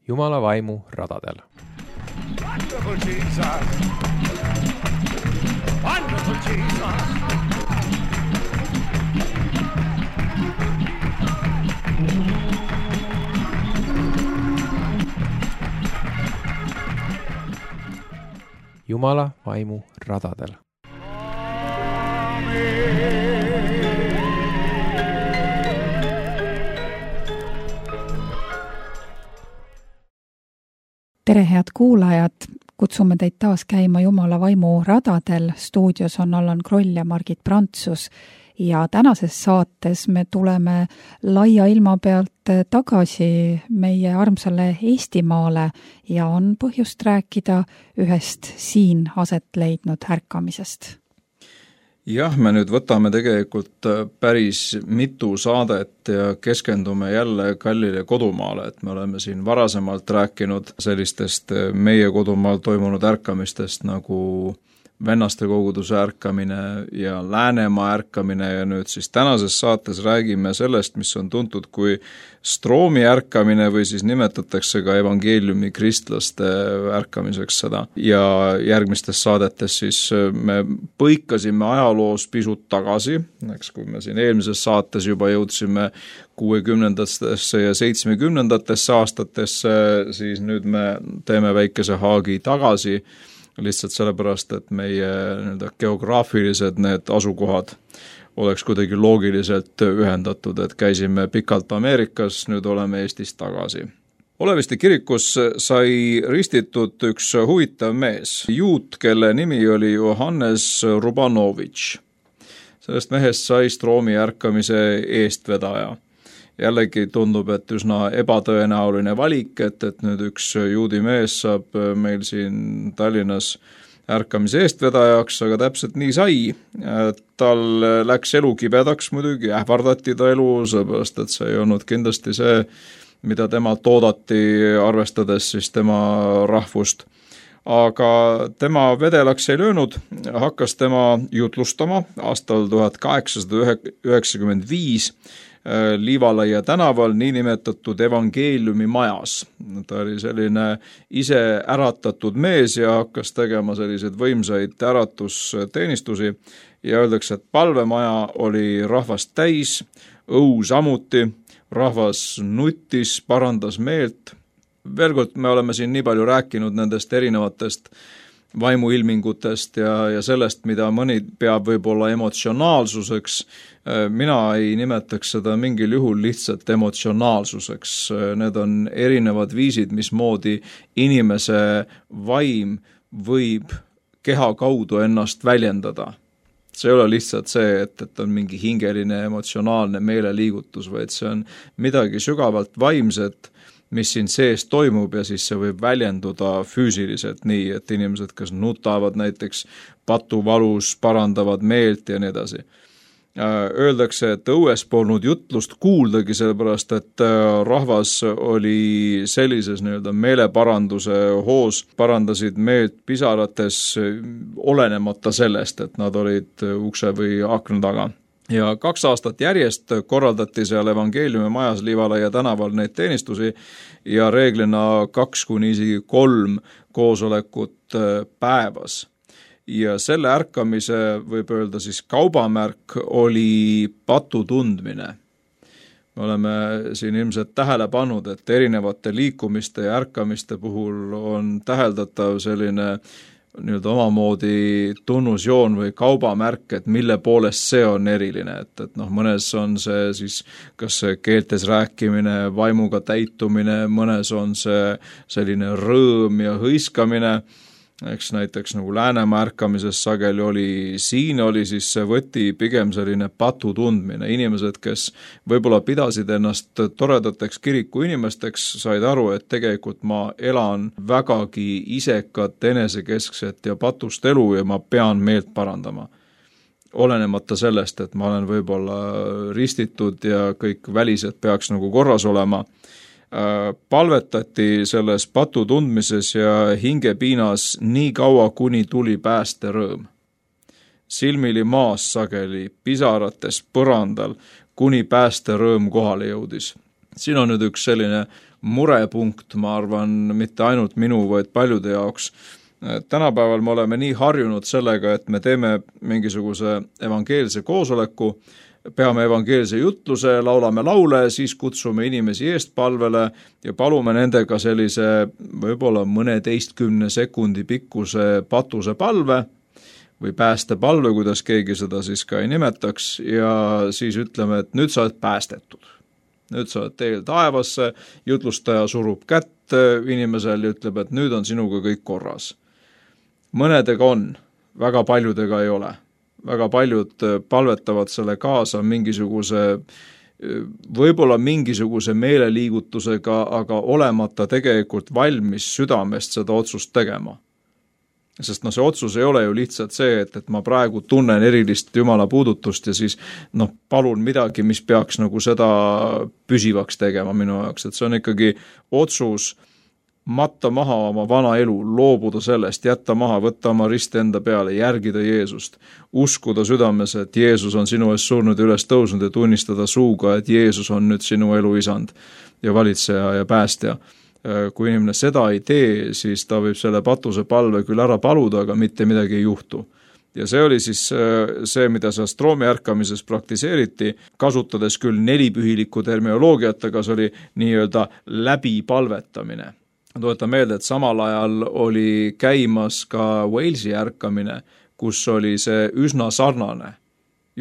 Jumala vaimu radadel. Wonderful Jesus! Wonderful Jesus! Jumala vaimu radadel. Tere, head kuulajad! Kutsume teid taas käima Jumala vaimu radadel. Stuudios on Allan Kroll ja Margit Prantsus. Ja tänases saates me tuleme laia ilma pealt tagasi meie armsale Eestimaale ja on põhjust rääkida ühest siin aset leidnud ärkamisest. Jah, me nüüd võtame tegelikult päris mitu saadet ja keskendume jälle kallile kodumaale, et me oleme siin varasemalt rääkinud sellistest meie kodumaal toimunud ärkamistest nagu vennaste koguduse ärkamine ja Läänemaa ärkamine ja nüüd siis tänases saates räägime sellest, mis on tuntud kui Stroomi ärkamine või siis nimetatakse ka evangeeliumi kristlaste ärkamiseks seda. Ja järgmistes saadetes siis me põikasime ajaloos pisut tagasi, eks kui me siin eelmises saates juba jõudsime 60-ndatesse ja 70-ndatesse aastatesse, siis nüüd me teeme väikese haagi tagasi, lihtsalt sellepärast, et meie geograafilised need asukohad oleks kuidagi loogiliselt ühendatud, et käisime pikalt Ameerikas, nüüd oleme Eestis tagasi. Oleviste kirikus sai ristitud üks huvitav mees, juut, kelle nimi oli Johannes Rubanovitš. Sellest mehest sai Stroomi ärkamise eestvedaja. Jällegi tundub, et üsna ebatõenäoline valik, et nüüd üks juudi mees saab meil siin Tallinnas ärkamise eestvedajaks, aga täpselt nii sai. Tal läks elu kibedaks muidugi, ähvardati ta elu, seepärast et see ei olnud kindlasti see, mida temalt oodati, arvestades siis tema rahvust. Aga tema vedelaks ei löönud, hakkas tema jutlustama aastal 1895 Liivalaia tänaval niinimetatud evangeeliumi majas. Ta oli selline ise äratatud mees ja hakkas tegema selliseid võimsaid äratusteenistusi ja öeldakse, et palvemaja oli rahvast täis, õu samuti, rahvas nuttis, parandas meelt. Veel kord me oleme siin nii palju rääkinud nendest erinevatest vaimuilmingutest ja sellest, mida mõni peab võib-olla emotsionaalsuseks. Mina ei nimetaks seda mingil juhul lihtsalt emotsionaalsuseks. Need on erinevad viisid, mismoodi inimese vaim võib keha kaudu ennast väljendada. See ei ole lihtsalt see, et on mingi hingeline emotsionaalne meeleliigutus, vaid see on midagi sügavalt vaimset, mis siin sees toimub ja siis see võib väljenduda füüsiliselt nii, et inimesed kas nutavad näiteks patuvalus, parandavad meelt ja nii edasi. Öeldakse, et õues polnud jutlust kuuldagi, sellepärast, et rahvas oli sellises meeleparanduse hoos, parandasid meelt pisarates olenemata sellest, et nad olid ukse või akna taga. Ja 2 aastat järjest korraldati seal evangeeliumi majas Liivalaia tänaval neid teenistusi ja reeglina 2-3 koosolekut päevas. Ja selle ärkamise, võib öelda siis kaubamärk, oli patu tundmine. Me oleme siin ilmselt tähele pannud, et erinevate liikumiste ja ärkamiste puhul on täheldatav selline omamoodi tunnusjoon või kaubamärk, et mille poolest see on eriline, et mõnes on see siis kas keeltes rääkimine, vaimuga täitumine, mõnes on see selline rõõm ja hõiskamine, eks näiteks nagu Läänemaa ärkamises sageli oli, siin oli siis see võti pigem selline patu tundmine. Inimesed, kes võib-olla pidasid ennast toredateks kiriku inimesteks, said aru, et tegelikult ma elan vägagi isekat, enesekeskset ja patust elu ja ma pean meelt parandama. Olenemata sellest, et ma olen võib-olla ristitud ja kõik välised peaks nagu korras olema, palvetati selles patu tundmises ja hingepiinas nii kaua, kuni tuli päästerõõm. Silmili maas sageli, pisarates põrandal, kuni päästerõõm kohale jõudis. Siin on nüüd üks selline murepunkt, ma arvan, mitte ainult minu, vaid paljude jaoks. Tänapäeval me oleme nii harjunud sellega, et me teeme mingisuguse evangeelse koosoleku, peame evangeelse jutluse, laulame laule, siis kutsume inimesi eestpalvele ja palume nendega sellise võib-olla 10 sekundi pikkuse patuse palve või päästepalve, kuidas keegi seda siis ka ei nimetaks, ja siis ütleme, et nüüd sa oled päästetud. Nüüd sa oled teel taevasse, jutlustaja surub kätt inimesel ja ütleb, et nüüd on sinuga kõik korras. Mõnedega on, väga paljudega ei ole. Väga paljud palvetavad selle kaasa võib-olla mingisuguse meeleliigutusega, aga olemata tegelikult valmis südamest seda otsust tegema. Sest see otsus ei ole ju lihtsalt see, et ma praegu tunnen erilist Jumala puudutust ja siis palun midagi, mis peaks seda püsivaks tegema minu jaoks. Et see on ikkagi otsus matta maha oma vana elu, loobuda sellest, jätta maha, võtta oma rist enda peale, järgida Jeesust, uskuda südames, et Jeesus on sinu eest surnud ja üles tõusnud ja tunnistada suuga, et Jeesus on nüüd sinu elu isand ja valitseja ja päästja. Kui inimene seda ei tee, siis ta võib selle patuse palve küll ära paluda, aga mitte midagi ei juhtu. Ja see oli siis see, mida seal Stroomi ärkamises praktiseeriti, kasutades küll nelipühiliku termioloogiat, aga see oli nii-öelda läbipalvetamine. Tuletan meelde, et samal ajal oli käimas ka Walesi ärkamine, kus oli see üsna sarnane.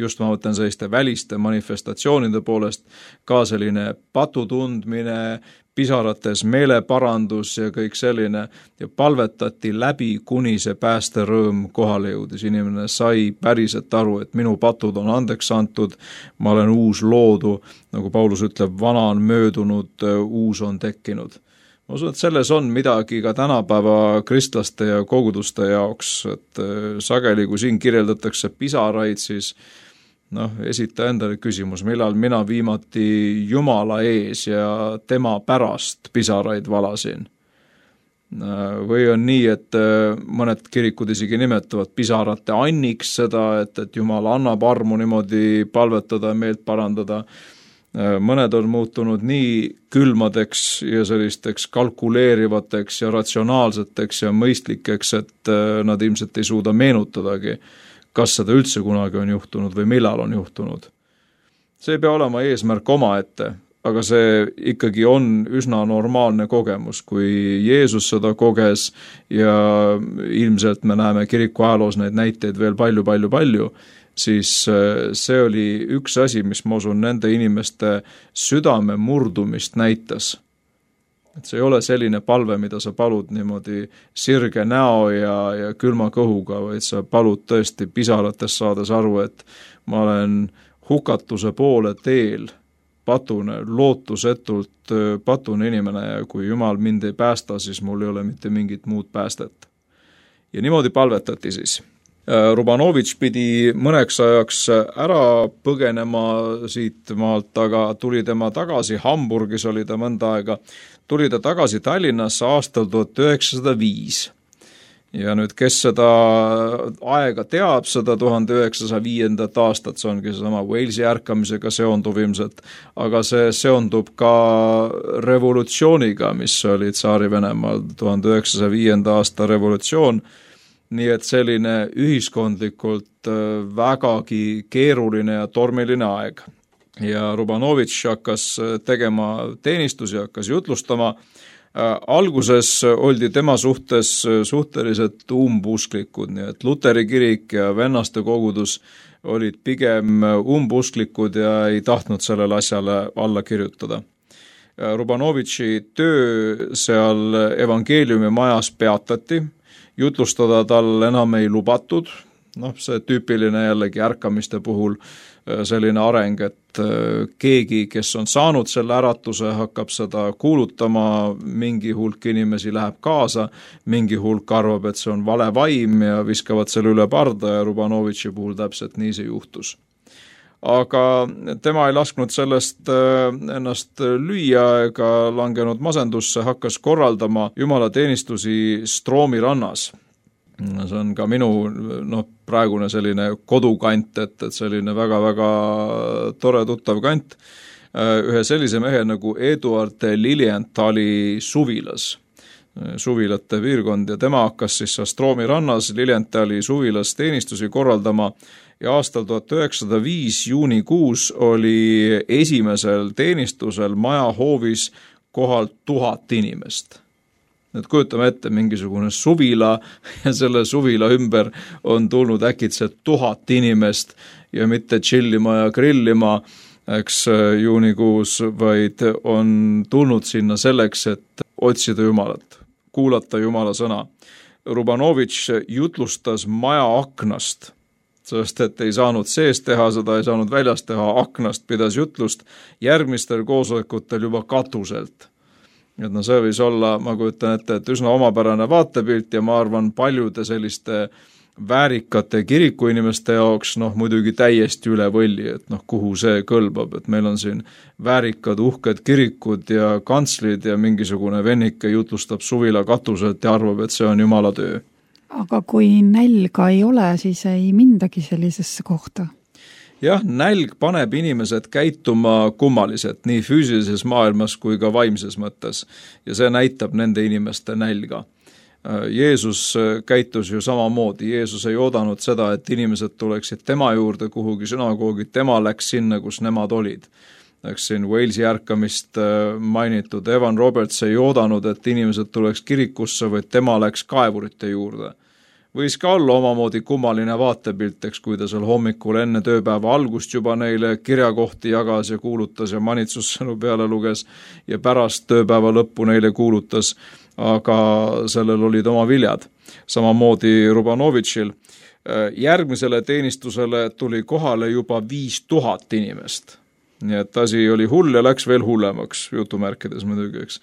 Just ma mõtlen selliste väliste manifestatsioonide poolest, ka selline patutundmine, pisarates meeleparandus ja kõik selline, ja palvetati läbi, kuni see päästerõõm kohale jõudis. Inimene sai päriselt aru, et minu patud on andeks antud, ma olen uus loodu, nagu Paulus ütleb, vana on möödunud, uus on tekkinud. Ma usun, et selles on midagi ka tänapäeva kristlaste ja koguduste jaoks, et sageli, kui siin kirjeldatakse pisaraid, siis esita endale küsimus, millal mina viimati Jumala ees ja tema pärast pisaraid valasin. Või on nii, et mõned kirikud isegi nimetavad pisarate anniks seda, et Jumal annab armu niimoodi palvetada ja meelt parandada. Mõned on muutunud nii külmadeks ja sellisteks kalkuleerivateks ja ratsionaalseteks ja mõistlikeks, et nad ilmselt ei suuda meenutadagi, kas seda üldse kunagi on juhtunud või millal on juhtunud. See ei pea olema eesmärk omaette, aga see ikkagi on üsna normaalne kogemus, kui Jeesus seda koges ja ilmselt me näeme kiriku ajaloos neid näiteid veel palju, siis see oli üks asi, mis ma usun nende inimeste südame murdumist näitas. Et see ei ole selline palve, mida sa palud niimoodi sirge näo ja külma kõhuga, vaid sa palud tõesti pisarates saades aru, et ma olen hukatuse poole teel, patune, lootusetult patune inimene ja kui Jumal mind ei päästa, siis mul ei ole mitte mingit muud päästet. Ja niimoodi palvetati siis. Rubanovitš pidi mõneks ajaks ära põgenema siit maalt, aga tuli tema tagasi, Hamburgis oli ta mõnda aega, tuli ta tagasi Tallinnasse aastal 1905. Ja nüüd, kes seda aega teab, seda 1905. aastat, see ongi seesama Walesi ärkamisega seonduv ilmselt, aga see seondub ka revolutsiooniga, mis oli Tsaari-Venemaal 1905. aasta revolutsioon. Nii et selline ühiskondlikult vägagi keeruline ja tormiline aeg. Ja Rubanovitš hakkas tegema teenistusi, hakkas jutlustama. Alguses oldi tema suhtes suhteliselt umbusklikud, nii et Luteri kirik ja vennaste kogudus olid pigem umbusklikud ja ei tahtnud sellele asjale alla kirjutada. Rubanovitši töö seal evangeeliumi majas peatati, jutlustada tal enam ei lubatud, see tüüpiline jällegi ärkamiste puhul selline areng, et keegi, kes on saanud selle äratuse, hakkab seda kuulutama, mingi hulk inimesi läheb kaasa, mingi hulk arvab, et see on vale vaim ja viskavad selle üle parda ja Rubanovitši puhul täpselt nii see juhtus. Aga tema ei lasknud sellest ennast lüüa ega langenud masendusse, hakkas korraldama jumalateenistusi Stroomi rannas. See on ka minu praegune selline kodukant, et selline väga-väga tore tuttav kant. ühe sellise mehe nagu Eduard Lilienthali suvilas, suvilate piirkond, ja tema hakkas siis Stroomi rannas Lilienthali suvilas teenistusi korraldama ja aastal 1905 juunikuus oli esimesel teenistusel majahoovis kohal 1000 inimest. Nüüd kujutame ette mingisugune suvila ja selle suvila ümber on tulnud äkitselt 1000 inimest ja mitte chillima ja grillima, eks juunikuus, vaid on tulnud sinna selleks, et otsida Jumalat, kuulata Jumala sõna. Rubanovitš jutlustas maja aknast, sest et ei saanud sees teha seda, ei saanud väljas teha, aknast pidas jutlust, järgmistel koosolekutel juba katuselt. Et see võis olla, ma kujutan ette, et üsna omapärane vaatepilt ja ma arvan paljude selliste väärikate kirikuinimeste jaoks, muidugi täiesti üle võlli, et kuhu see kõlbab, et meil on siin väärikad, uhked kirikud ja kantslid ja mingisugune vennike jutlustab suvila katuselt ja arvab, et see on Jumala töö. Aga kui nälga ei ole, siis ei mindagi sellisesse kohta. Jah, nälg paneb inimesed käituma kummaliselt nii füüsilises maailmas kui ka vaimses mõttes ja see näitab nende inimeste nälga. Jeesus käitus ju samamoodi, Jeesus ei oodanud seda, et inimesed tuleksid tema juurde kuhugi sünagoogi, tema läks sinna, kus nemad olid. Eks siin Walesi ärkamist mainitud Evan Roberts ei oodanud, et inimesed tuleks kirikusse, vaid tema läks kaevurite juurde. Võis ka olla omamoodi kummaline vaatepilt, eks kui ta seal hommikul enne tööpäeva algust juba neile kirjakohti jagas ja kuulutas ja manitsussõnu peale luges ja pärast tööpäeva lõppu neile kuulutas, aga sellel olid oma viljad. Samamoodi Rubanovitšil. Järgmisele teenistusele tuli kohale juba 5000 inimest. Nii et asi oli hull ja läks veel hullemaks, jutumärkides muidugi, eks.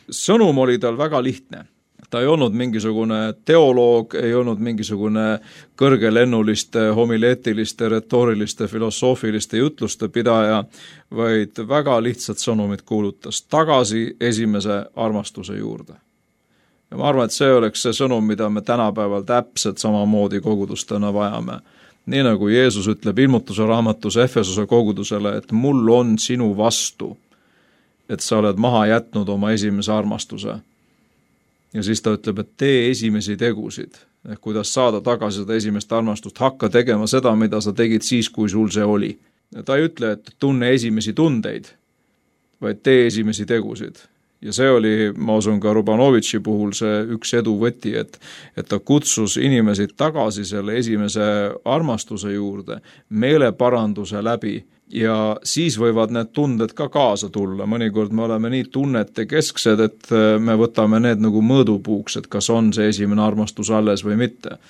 Sõnum oli tal väga lihtne. Ta ei olnud mingisugune teoloog, ei olnud mingisugune kõrgelennuliste, homileetiliste, retooriliste, filosoofiliste jutluste pidaja, vaid väga lihtsat sõnumit kuulutas tagasi esimese armastuse juurde. Ja ma arvan, et see oleks see sõnum, mida me tänapäeval täpselt samamoodi kogudustena vajame. Nii nagu Jeesus ütleb ilmutuse raamatus Efesose kogudusele, et mul on sinu vastu, et sa oled maha jätnud oma esimese armastuse. Ja siis ta ütleb, et tee esimesi tegusid, kuidas saada tagasi seda esimest armastust, hakka tegema seda, mida sa tegid siis, kui sul see oli. Ja ta ei ütle, et tunne esimesi tundeid, vaid tee esimesi tegusid. Ja see oli, ma usun ka Rubanovitši puhul see üks edu võti, et ta kutsus inimesi tagasi selle esimese armastuse juurde, meeleparanduse läbi, ja siis võivad need tunded ka kaasa tulla. Mõnikord me oleme nii tunnete kesksed, et me võtame need nagu mõõdupuuks, et kas on see esimene armastus alles või mitte.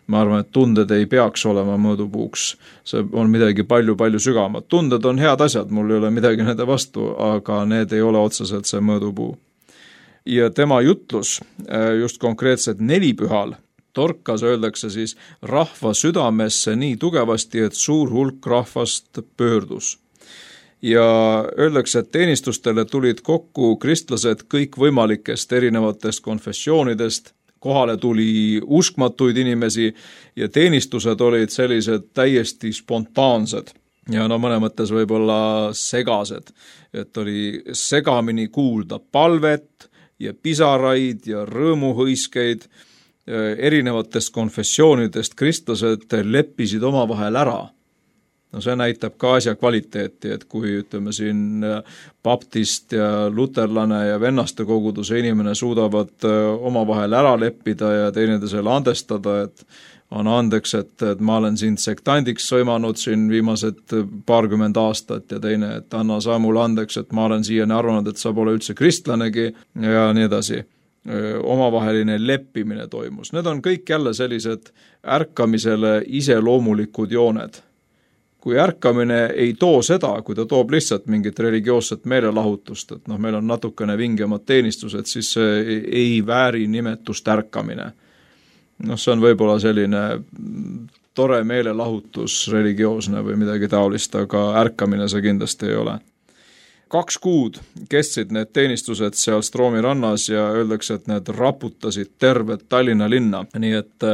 Ma arvan, et tunded ei peaks olema mõõdupuuks. See on midagi palju-palju sügavamat. Tunded on head asjad, mul ei ole midagi nende vastu, aga need ei ole otseselt see mõõdupuu. Ja tema jutlus just konkreetselt nelipühal torkas, öeldakse siis, rahva südamesse nii tugevasti, et suur hulk rahvast pöördus. Ja öeldakse, et teenistustele tulid kokku kristlased kõikvõimalikest erinevatest konfessioonidest, kohale tuli uskmatuid inimesi ja teenistused olid sellised täiesti spontaansed ja mõne mõttes võib-olla segased, et oli segamini kuulda palvet ja pisaraid ja rõõmuhõiskeid. Erinevatest konfessioonidest kristlased leppisid omavahel ära. See näitab ka asja kvaliteeti, et kui ütleme siin baptist ja luterlane ja vennaste koguduse inimene suudavad omavahel ära leppida ja teineteisele andestada, et anna andeks, et ma olen sind sektandiks sõimanud siin viimased 20 aastat ja teine, et anna sa mulle andeks, et ma olen siiani arvanud, et sa pole üldse kristlanegi ja nii edasi. Omavaheline leppimine toimus. Need on kõik jälle sellised ärkamisele iseloomulikud jooned. Kui ärkamine ei too seda, kui ta toob lihtsalt mingit religioosset meelelahutust, et meil on natukene vingemad teenistused, siis see ei vääri nimetust ärkamine. See on võib-olla selline tore meelelahutus religioosne või midagi taolist, aga ärkamine see kindlasti ei ole. 2 kuud kestsid need teenistused seal Stroomi rannas ja öeldakse, et need raputasid tervet Tallinna linna. Nii et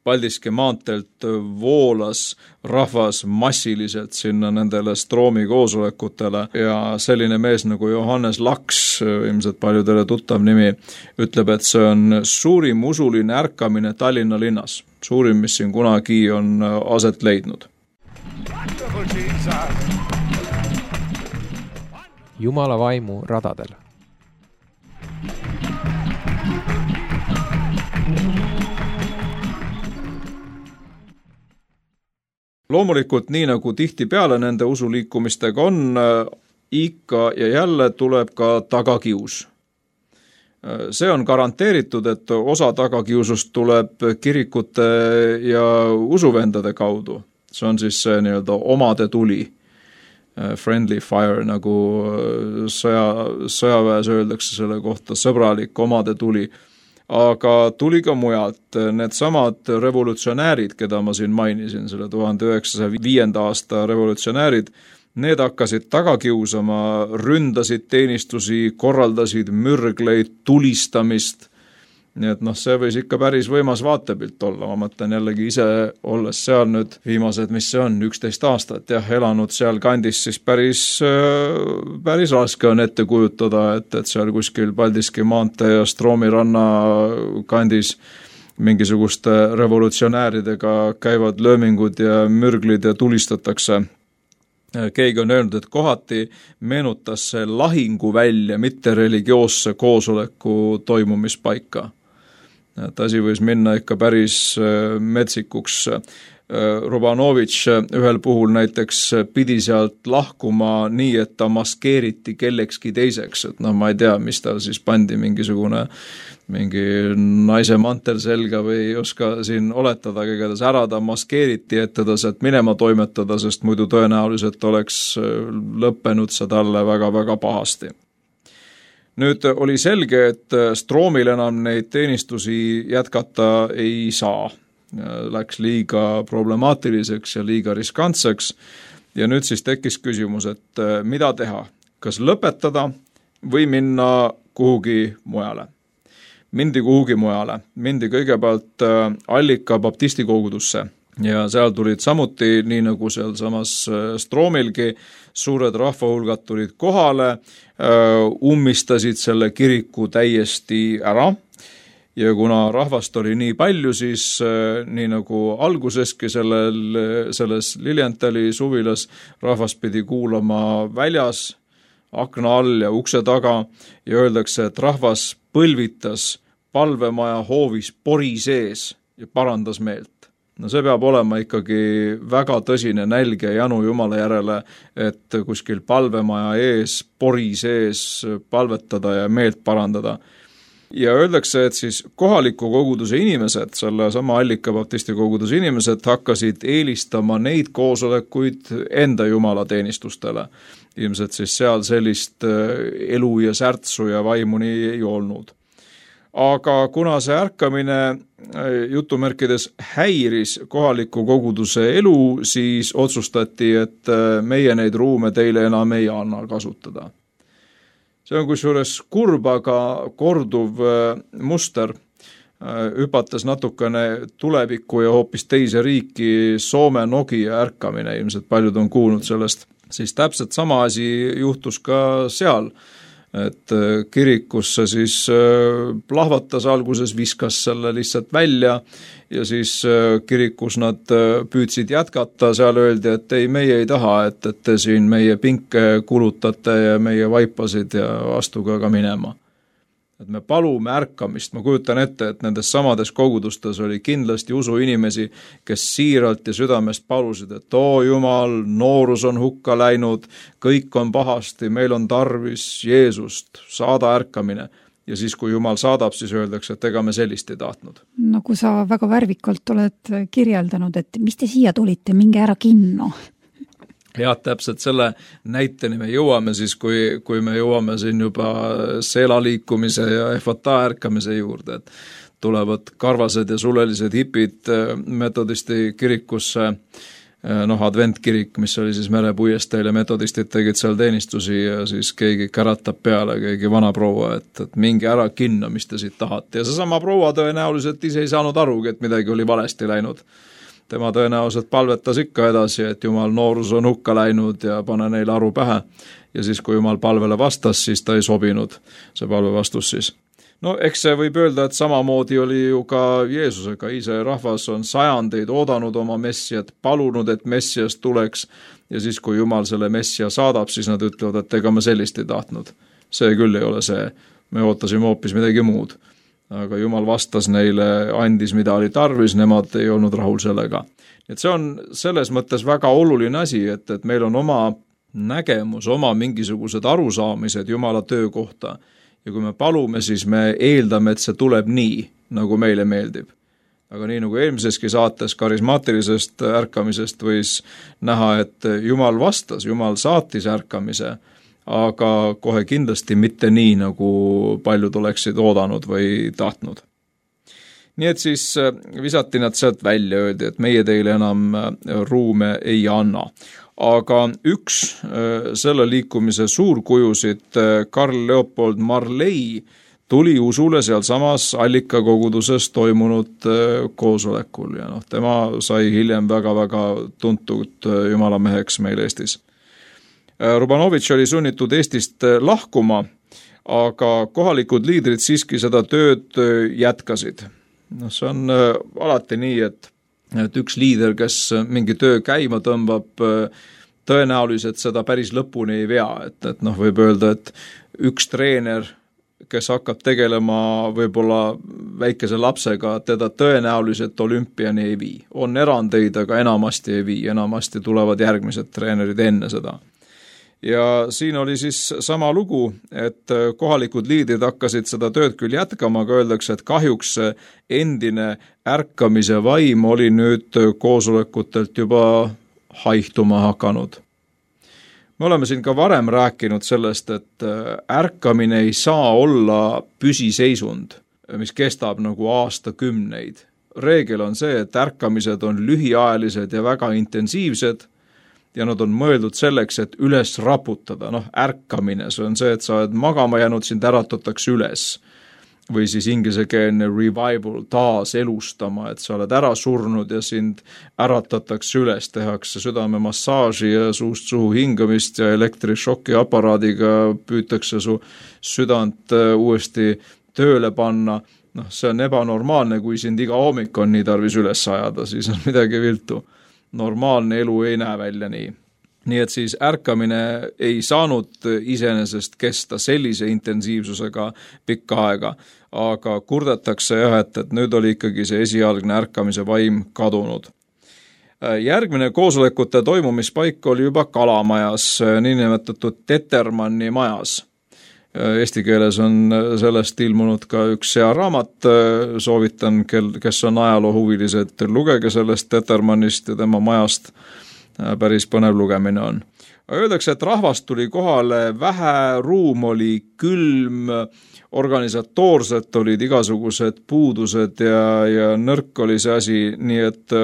Paldiski maanteelt voolas rahvas massiliselt sinna nendele Stroomi koosolekutele ja selline mees nagu Johannes Laks, ilmselt paljudele tuttav nimi, ütleb, et see on suurim usuline ärkamine Tallinna linnas. Suurim, mis siin kunagi on aset leidnud. Wonderful Jesus. Jumala vaimu radadel. Loomulikult nii nagu tihtipeale nende usuliikumistega on, ikka ja jälle tuleb ka tagakius. See on garanteeritud, et osa tagakiusust tuleb kirikute ja usuvendade kaudu. See on siis see nii-öelda omade tuli. Friendly fire, nagu sõjaväes öeldakse selle kohta, sõbralik omade tuli. Aga tuli ka mujalt. Need samad revolutsionäärid, keda ma siin mainisin, selle 1905. aasta revolutsionäärid, need hakkasid tagakiusama, ründasid teenistusi, korraldasid mürgleid, tulistamist. Nii et see võis ikka päris võimas vaatepilt olla. Ma mõtlen jällegi ise olles seal nüüd viimased, mis see on, 11 aastat, elanud seal kandis, siis päris raske on ette kujutada, et seal kuskil Paldiski maantee ja Stroomi ranna kandis mingisuguste revolutsionääridega käivad löömingud ja mürglid ja tulistatakse. Keegi on öelnud, et kohati meenutas see lahingu välja, mitte religioosse koosoleku toimumispaika. Et asi võis minna ikka päris metsikuks. Rubanovitš ühel puhul näiteks pidi sealt lahkuma nii, et ta maskeeriti kellekski teiseks. Et ma ei tea, mis tal siis pandi mingi naise mantel selga või ei oska siin oletada, igatahes ära ta maskeeriti, et teda sealt minema toimetada, sest muidu tõenäoliselt oleks lõppenud see talle väga-väga pahasti. Nüüd oli selge, et Stroomil enam neid teenistusi jätkata ei saa. Läks liiga problemaatiliseks ja liiga riskantseks ja nüüd siis tekkis küsimus, et mida teha, kas lõpetada või minna kuhugi mujale. Mindi kuhugi mujale, mindi kõigepealt Allika baptistikogudusse ja seal tulid samuti, nii nagu seal samas Stroomilgi, suured rahvahulgad tulid kohale, ummistasid selle kiriku täiesti ära. Ja kuna rahvast oli nii palju, siis nii nagu alguseski selles Lilienthali suvilas rahvas pidi kuulama väljas, akna all ja ukse taga ja öeldakse, et rahvas põlvitas palvemaja hoovis pori sees ja parandas meelt. No see peab olema ikkagi väga tõsine nälg ja janu Jumala järele, et kuskil palvemaja ees, pori sees palvetada ja meelt parandada. Ja öeldakse, et siis kohaliku koguduse inimesed, selle sama Allika baptisti koguduse inimesed hakkasid eelistama neid koosolekuid enda jumalateenistustele. Ilmselt siis seal sellist elu ja särtsu ja vaimuni ei olnud. Aga kuna see ärkamine jutumärkides häiris kohaliku koguduse elu, siis otsustati, et meie neid ruume teile enam ei anna kasutada. See on kusjuures kurb, aga korduv muster, hüpates natukene tulevikku ja hoopis teise riiki Soome Nokia ärkamine, ilmselt paljud on kuulnud sellest, siis täpselt sama asi juhtus ka seal, et kirikusse siis plahvatas alguses, viskas selle lihtsalt välja ja siis kirikus nad püüdsid jätkata, seal öeldi, et ei, meie ei taha, et te siin meie pinke kulutate ja meie vaipasid ja astuge ka minema. Et me palume ärkamist, ma kujutan ette, et nendes samades kogudustes oli kindlasti usuinimesi, kes siiralt ja südamest palusid, et Jumal, noorus on hukka läinud, kõik on pahasti, meil on tarvis Jeesust, saada ärkamine. Ja siis, kui Jumal saadab, siis öeldakse, et ega me sellist ei tahtnud. No kui sa väga värvikalt oled kirjeldanud, et mis te siia tulite, minge ära kinno. Ja täpselt selle näiteni me jõuame siis, kui me jõuame siin juba seelaliikumise ja ehvata ärkamise juurde, et tulevad karvased ja sulelised hipid metodisti kirikusse adventkirik, mis oli siis merepuiesteel ja metodistid tegid seal teenistusi ja siis keegi käratab peale, keegi vanaproua, et minge ära kinno, mis te siit tahate. Ja seesama proua tõenäoliselt ise ei saanud arugi, et midagi oli valesti läinud. Tema tõenäoliselt palvetas ikka edasi, et Jumal, noorus on hukka läinud ja pane neile aru pähe. Ja siis, kui Jumal palvele vastas, siis ta ei sobinud, see palve vastus siis. No eks see võib öelda, et samamoodi oli ju ka Jeesusega, ise rahvas on sajandeid oodanud oma messiat, palunud, et messias tuleks ja siis, kui Jumal selle messia saadab, siis nad ütlevad, et ega me sellist ei tahtnud. See küll ei ole see, me ootasime hoopis midagi muud. Aga Jumal vastas neile, andis mida oli tarvis, nemad ei olnud rahul sellega. Et see on selles mõttes väga oluline asi, et meil on oma nägemus, oma mingisugused arusaamised Jumala töö kohta. Ja kui me palume, siis me eeldame, et see tuleb nii, nagu meile meeldib. Aga nii nagu eelmiseski saates karismaatilisest ärkamisest võis näha, et Jumal vastas, Jumal saatis ärkamise, aga kohe kindlasti mitte nii, nagu paljud oleksid oodanud või tahtnud. Nii et siis visati nad sealt välja, öeldi, et meie teile enam ruume ei anna. Aga üks selle liikumise suurkujusid, Karl Leopold Marley, tuli usule seal samas allikakoguduses toimunud koosolekul ja tema sai hiljem väga-väga tuntud jumalameheks meil Eestis. Rubanovitš oli sunnitud Eestist lahkuma, aga kohalikud liidrid siiski seda tööd jätkasid. See on alati nii, et üks liider, kes mingi töö käima tõmbab, tõenäoliselt seda päris lõpuni ei vea, et võib öelda, et üks treener, kes hakkab tegelema võib-olla väikese lapsega, teda tõenäoliselt olümpiani ei vii. On erandeid, aga enamasti ei vii, enamasti tulevad järgmised treenerid enne seda. Ja siin oli siis sama lugu, et kohalikud liidrid hakkasid seda tööd küll jätkama, aga öeldakse, et kahjuks endine ärkamise vaim oli nüüd koosolekutelt juba haihtuma hakanud. Me oleme siin ka varem rääkinud sellest, et ärkamine ei saa olla püsiseisund, mis kestab nagu aastakümneid. Reegel on see, et ärkamised on lühiajalised ja väga intensiivsed, ja nad on mõeldud selleks, et üles raputada. Ärkamine, see on see, et sa oled magama jäänud, sind äratatakse üles. Või siis ingliskeelne revival, taas elustama, et sa oled ära surnud ja sind äratatakse üles, tehakse südamemassaaži ja suust suhu hingamist ja elektrišoki aparaadiga püütakse su südant uuesti tööle panna. See on ebanormaalne, kui sind iga hommik on nii tarvis üles ajada, siis on midagi viltu. Normaalne elu ei näe välja nii. Nii et siis ärkamine ei saanud iseenesest kesta sellise intensiivsusega pikka aega, aga kurdetakse jah, et nüüd oli ikkagi see esialgne ärkamise vaim kadunud. Järgmine koosolekute toimumispaik oli juba Kalamajas, niinimetatud Tetermanni majas. Eesti keeles on sellest ilmunud ka üks hea raamat, soovitan, kes on ajaloohuvilised, lugege sellest Tetermannist ja tema majast, päris põnev lugemine on. Öeldakse, et rahvast tuli kohale vähe, ruum oli külm, organisatoorselt olid igasugused puudused ja nõrk oli see asi, nii et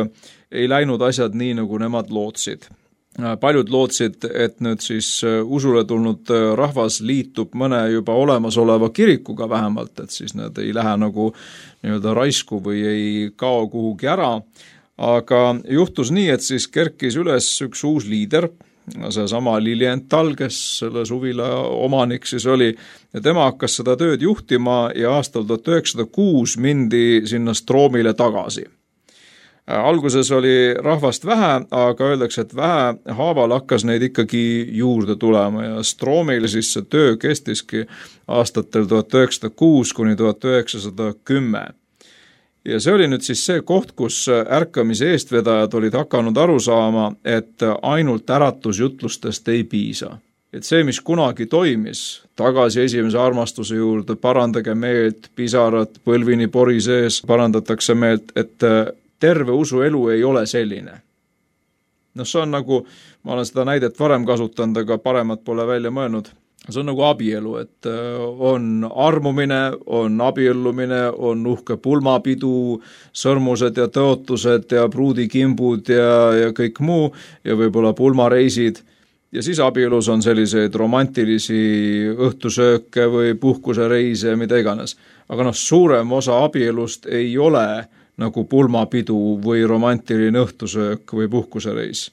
ei läinud asjad nii, nagu nemad lootsid. Paljud lootsid, et nüüd siis usule tulnud rahvas liitub mõne juba olemasoleva kirikuga vähemalt, et siis need ei lähe nagu nii-öelda raisku või ei kao kuhugi ära. Aga juhtus nii, et siis kerkis üles üks uus liider, seesama Lilienthal, kes selle suvila omanik siis oli, ja tema hakkas seda tööd juhtima ja aastal 1906 mindi sinna Stroomile tagasi. Alguses oli rahvast vähe, aga öeldakse, et vähe haaval hakkas neid ikkagi juurde tulema ja Stroomil siis see töö kestiski aastatel 1906 kuni 1910. Ja see oli nüüd siis see koht, kus ärkamise eestvedajad olid hakanud aru saama, et ainult äratusjutlustest ei piisa. Et see, mis kunagi toimis, tagasi esimese armastuse juurde, parandage meelt, pisarad, põlvini pori sees, parandatakse meelt, et terve usuelu ei ole selline. See on nagu, ma olen seda näidet varem kasutanud, aga paremat pole välja mõelnud. see on nagu abielu, et on armumine, on abiellumine, on uhke pulmapidu, sõrmused ja tõotused ja pruudikimbud ja kõik muu ja võib-olla pulmareisid. Ja siis abielus on selliseid romantilisi õhtusööke või puhkusereise ja mida iganes. Aga suurem osa abielust ei ole nagu pulmapidu või romantiline õhtusöök või puhkusereis.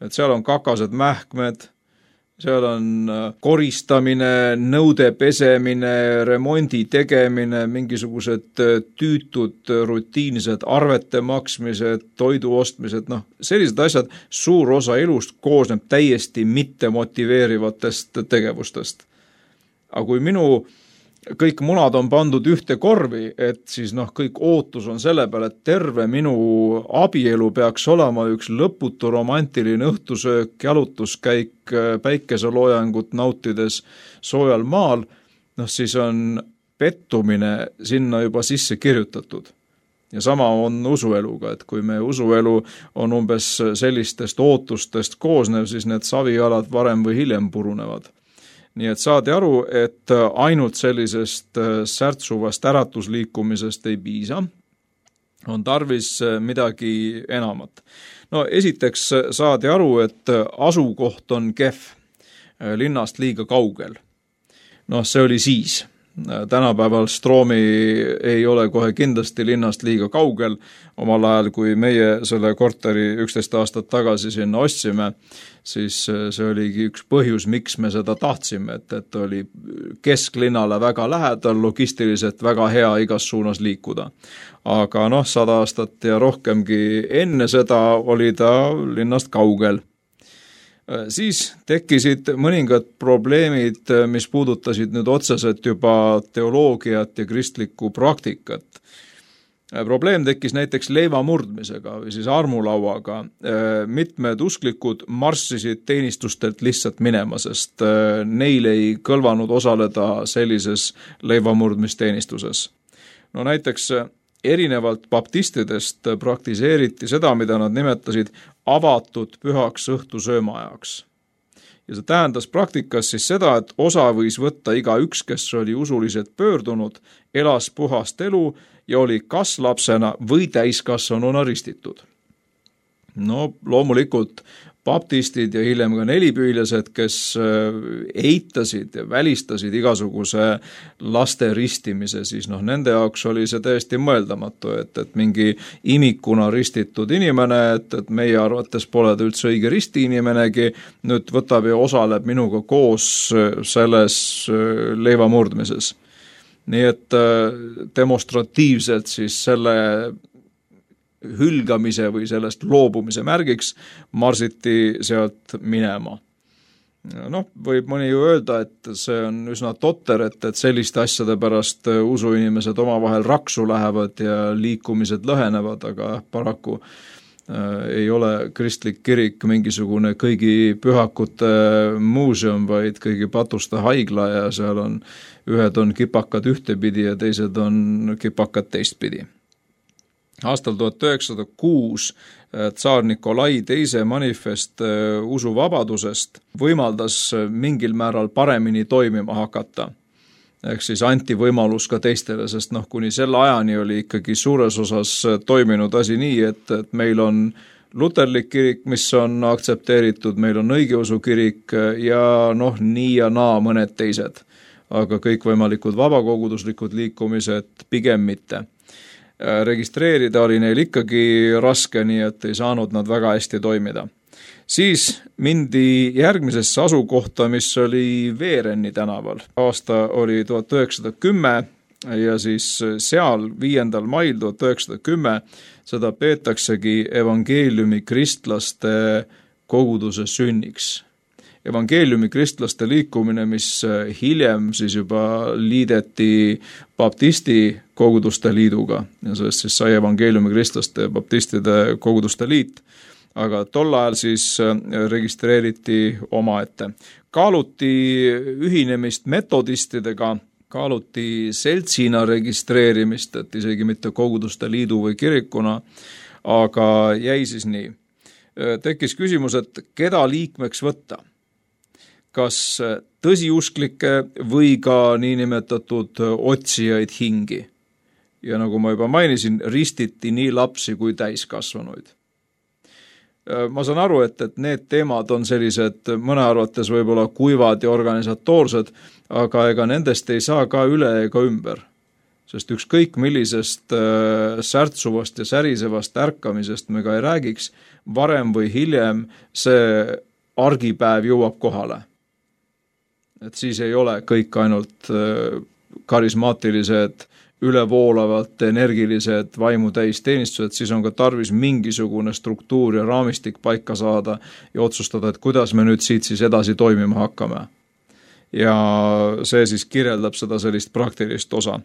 Et seal on kakased mähkmed, seal on koristamine, nõude pesemine, remondi tegemine, mingisugused tüütud rutiinsed arvete maksmised, toidu ostmised, sellised asjad, suur osa elust koosneb täiesti mittemotiveerivatest tegevustest. Aga kui minu kõik munad on pandud ühte korvi, et siis kõik ootus on selle peale, et terve minu abielu peaks olema üks lõputu romantiline õhtusöök, jalutuskäik, päikeseloojangut nautides soojal maal, siis on pettumine sinna juba sisse kirjutatud. Ja sama on usueluga, et kui meie usuelu on umbes sellistest ootustest koosnev, siis need savialad varem või hiljem purunevad. Nii et saadi aru, et ainult sellisest särtsuvast äratusliikumisest ei piisa, on tarvis midagi enamat. Esiteks saadi aru, et asukoht on kehv, linnast liiga kaugel. See oli siis. Tänapäeval Stroomi ei ole kohe kindlasti linnast liiga kaugel. Omal ajal, kui meie selle korteri 11 aastat tagasi sinna ostsime, siis see oligi üks põhjus, miks me seda tahtsime, et oli kesklinnale väga lähedal, logistiliselt väga hea igas suunas liikuda. Aga 100 aastat ja rohkemgi enne seda oli ta linnast kaugel. Siis tekkisid mõningad probleemid, mis puudutasid nüüd otseselt juba teoloogiat ja kristlikku praktikat. Probleem tekkis näiteks leiva murdmisega või siis armulauaga. Mitmed usklikud marssisid teenistustelt lihtsalt minema, sest neil ei kõlvanud osaleda sellises leivamurdmisteenistuses. Näiteks erinevalt baptistidest praktiseeriti seda, mida nad nimetasid avatud pühaks õhtusöömaajaks. Ja see tähendas praktikas siis seda, et osa võis võtta igaüks, kes oli usuliselt pöördunud, elas puhast elu ja oli kas lapsena või täiskasvanuna ristitud. Loomulikult baptistid ja hiljem ka nelipüüljased, kes eitasid ja välistasid igasuguse laste ristimise, siis nende jaoks oli see täiesti mõeldamatu, et mingi imikuna ristitud inimene, et meie arvates pole ta üldse õige risti inimenegi, nüüd võtab ja osaleb minuga koos selles leiva murdmises. Nii et demonstratiivselt siis selle hülgamise või sellest loobumise märgiks marsiti sealt minema. Võib mõni ju öelda, et see on üsna totter, et selliste asjade pärast usuinimesed omavahel raksu lähevad ja liikumised lõhenevad, aga paraku ei ole kristlik kirik mingisugune kõigi pühakute muuseum, vaid kõigi patuste haigla ja seal on ühed on kipakad ühtepidi ja teised on kipakad teistpidi. Aastal 1906 tsaar Nikolai II manifest usuvabadusest võimaldas mingil määral paremini toimima hakata. Ehk siis anti võimalus ka teistele, sest kuni selle ajani oli ikkagi suures osas toiminud asi nii, et meil on luterlik kirik, mis on aktsepteeritud, meil on õigeusu kirik ja nii ja naa mõned teised. Aga kõikvõimalikud vabakoguduslikud liikumised pigem mitte. Registreerida oli neil ikkagi raske, nii et ei saanud nad väga hästi toimida. Siis mindi järgmisesse asukohta, mis oli Veerenni tänaval. Aasta oli 1910 ja siis seal 5. mail 1910 seda peetaksegi evangeeliumi kristlaste koguduse sünniks. Evangeeliumi kristlaste liikumine, mis hiljem siis juba liideti baptisti koguduste liiduga ja sellest siis sai evangeeliumi kristlaste ja baptistide koguduste liit, aga tol ajal siis registreeriti omaette. Kaaluti ühinemist metodistidega, kaaluti seltsina registreerimist, et isegi mitte koguduste liidu või kirikuna, aga jäi siis nii. Tekkis küsimus, et keda liikmeks võtta? kas tõsiusklikke või ka niinimetatud otsijaid hingi. Ja nagu ma juba mainisin, ristiti nii lapsi kui täiskasvanuid. Ma saan aru, et need teemad on sellised mõne arvates võib-olla kuivad ja organisatoorsed, aga ega nendest ei saa ka üle ega ümber. Sest ükskõik millisest särtsuvast ja särisevast ärkamisest me ka ei räägiks, varem või hiljem see argipäev jõuab kohale. Et siis ei ole kõik ainult karismaatilised, ülevoolavad, energilised vaimutäisteenistused, siis on ka tarvis mingisugune struktuur ja raamistik paika saada ja otsustada, et kuidas me nüüd siit siis edasi toimima hakkame. Ja see siis kirjeldab seda sellist praktilist osa.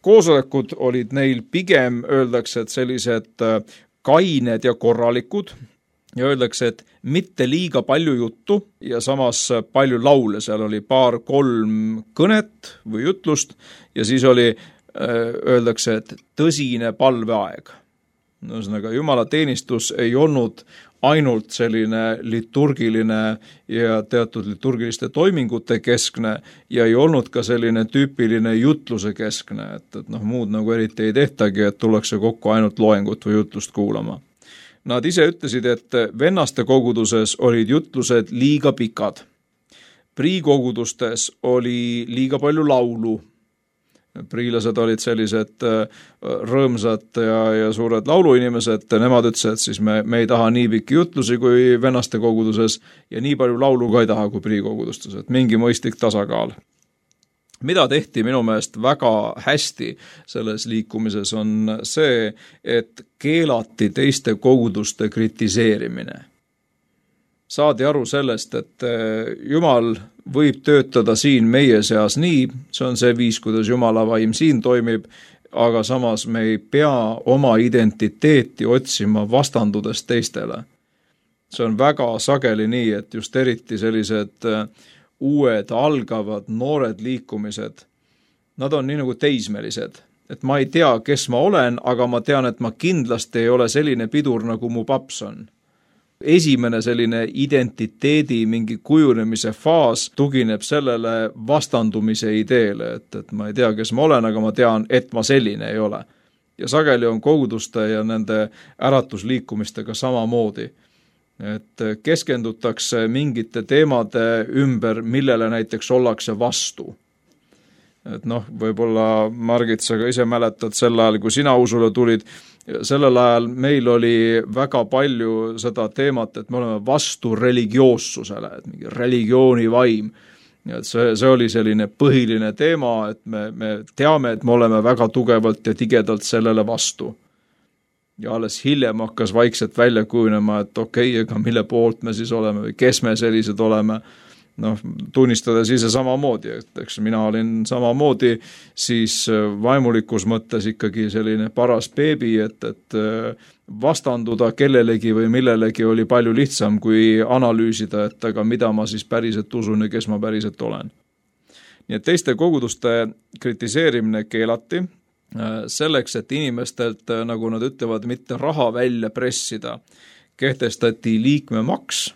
Koosolekud olid neil pigem, öeldakse, et sellised kained ja korralikud ja öeldakse, et mitte liiga palju juttu ja samas palju laule, seal oli 2-3 kõnet või jutlust ja siis oli, öeldakse, et tõsine palveaeg. Ühesõnaga, Jumala teenistus ei olnud ainult selline liturgiline ja teatud liturgiliste toimingute keskne ja ei olnud ka selline tüüpiline jutluse keskne, et muud nagu eriti ei tehtagi, et tullakse kokku ainult loengut või jutlust kuulama. Nad ise ütlesid, et vennaste koguduses olid jutlused liiga pikad. Priikogudustes oli liiga palju laulu. Priilased olid sellised rõõmsad ja suured lauluinimesed, nemad ütlesid, et siis me ei taha nii pikki jutlusi kui vennaste koguduses ja nii palju laulu ka ei taha kui priikogudustes, et mingi mõistlik tasakaal. Mida tehti minu meelest väga hästi selles liikumises on see, et keelati teiste koguduste kritiseerimine. Saadi aru sellest, et Jumal võib töötada siin meie seas nii, see on see viis, kuidas Jumala vaim siin toimib, aga samas me ei pea oma identiteeti otsima vastandudes teistele. See on väga sageli nii, et just eriti sellised uued, algavad, noored liikumised, nad on nii nagu teismelised. Et ma ei tea, kes ma olen, aga ma tean, et ma kindlasti ei ole selline pidur, nagu mu paps on. Esimene selline identiteedi mingi kujunemise faas tugineb sellele vastandumise ideele, et ma ei tea, kes ma olen, aga ma tean, et ma selline ei ole. Ja sageli on koguduste ja nende äratusliikumistega samamoodi. Et keskendutakse mingite teemade ümber, millele näiteks ollakse vastu. Et võib-olla Margit, sa ka ise mäletad sel ajal, kui sina usule tulid, sellel ajal meil oli väga palju seda teemat, et me oleme vastu religioossusele, et mingi religiooni vaim. Ja see oli selline põhiline teema, et me teame, et me oleme väga tugevalt ja tigedalt sellele vastu. Ja alles hiljem hakkas vaikselt välja kujunema, et okei, ega mille poolt me siis oleme või kes me sellised oleme. Tunnistades ise samamoodi, et eks mina olin samamoodi, siis vaimulikus mõttes ikkagi selline paras beebi, et vastanduda kellelegi või millelegi oli palju lihtsam kui analüüsida, et aga mida ma siis päriselt usun ja kes ma päriselt olen. Nii et teiste koguduste kritiseerimine keelati, selleks, et inimestelt, nagu nad ütlevad, mitte raha välja pressida, kehtestati liikmemaks.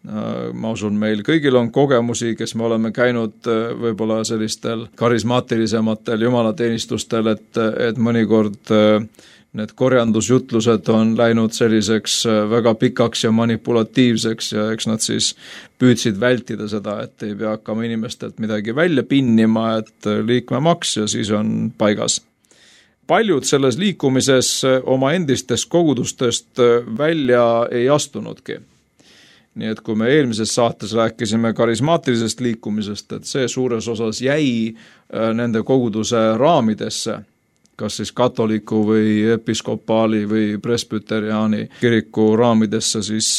Ma usun, meil kõigil on kogemusi, kes me oleme käinud võib-olla sellistel karismaatilisematel jumalateenistustel, et mõnikord need korjandusjutlused on läinud selliseks väga pikaks ja manipulatiivseks ja eks nad siis püüdsid vältida seda, et ei pea hakkama inimestelt midagi välja pinnima, et liikmemaks ja siis on paigas. Paljud selles liikumises oma endistest kogudustest välja ei astunudki. Nii et kui me eelmises saates rääkisime karismaatilisest liikumisest, et see suures osas jäi nende koguduse raamidesse, kas siis katoliku või episkopaali või presbyteriaani kiriku raamidesse, siis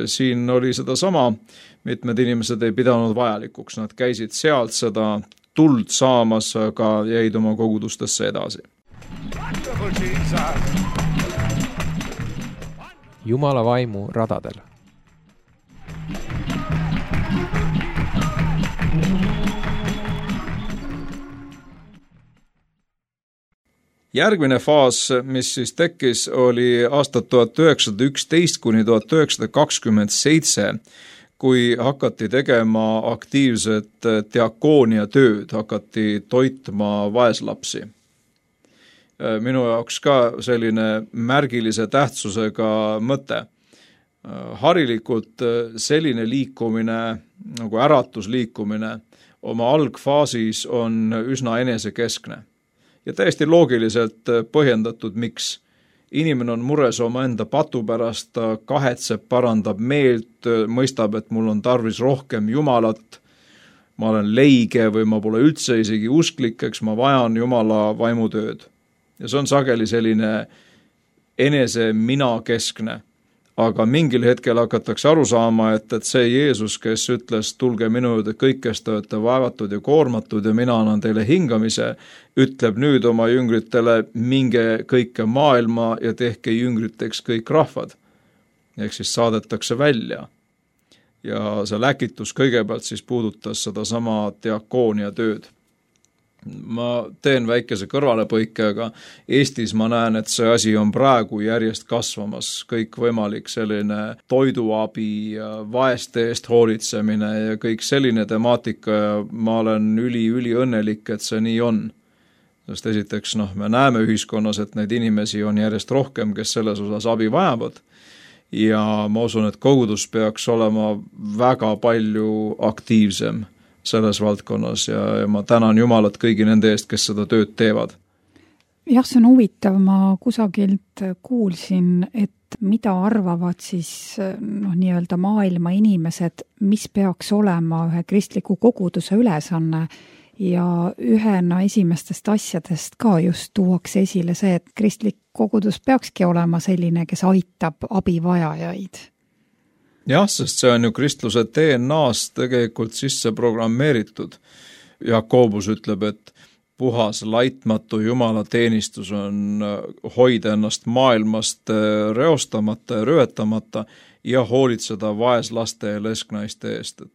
siin oli seda sama. Mitmed inimesed ei pidanud vajalikuks, nad käisid sealt seda tuld saamas, aga jäid oma kogudustesse edasi. Jumala vaimu radadel. Järgmine faas, mis siis tekkis, oli aastat 1911 kuni 1927, kui hakati tegema aktiivset diakoonia tööd, hakati toitma vaeslapsi. Minu jaoks ka selline märgilise tähtsusega mõte. Harilikult selline liikumine, nagu äratusliikumine, oma algfaasis on üsna enesekeskne. Ja täiesti loogiliselt põhjendatud, miks. Inimene on mures oma enda patu pärast, ta kahetseb, parandab meelt, mõistab, et mul on tarvis rohkem Jumalat, ma olen leige või ma pole üldse isegi usklik, eks ma vajan Jumala vaimutööd. Ja see on sageli selline enese mina keskne. Aga mingil hetkel hakatakse aru saama, et see Jeesus, kes ütles, tulge minu juurde kõik, kes te olete vaevatud ja koormatud ja mina annan teile hingamise, ütleb nüüd oma jüngritele, minge kõike maailma ja tehke jüngriteks kõik rahvad. Ehk siis saadetakse välja. Ja see läkitus kõigepealt siis puudutas seda sama diakoonia tööd. Ma teen väikese kõrvalepõike, aga Eestis ma näen, et see asi on praegu järjest kasvamas, kõik võimalik selline toiduabi ja vaeste eest hoolitsemine ja kõik selline temaatika ja ma olen üli õnnelik, et see nii on. Sest esiteks, me näeme ühiskonnas, et neid inimesi on järjest rohkem, kes selles osas abi vajavad ja ma usun, et kogudus peaks olema väga palju aktiivsem selles valdkonnas ja ma tänan Jumalat kõigi nende eest, kes seda tööd teevad. Jah, see on huvitav, ma kusagilt kuulsin, et mida arvavad siis nii-öelda maailma inimesed, mis peaks olema ühe kristliku koguduse ülesanne ja ühena esimestest asjadest ka just tuuakse esile see, et kristlik kogudus peakski olema selline, kes aitab abivajajaid. Jah, sest see on ju kristluse DNA-s tegelikult sisse programmeeritud. Jakobus ütleb, et puhas, laitmatu Jumala teenistus on hoida ennast maailmast reostamata ja rüvetamata ja hoolitseda vaeslaste ja lesknaiste eest.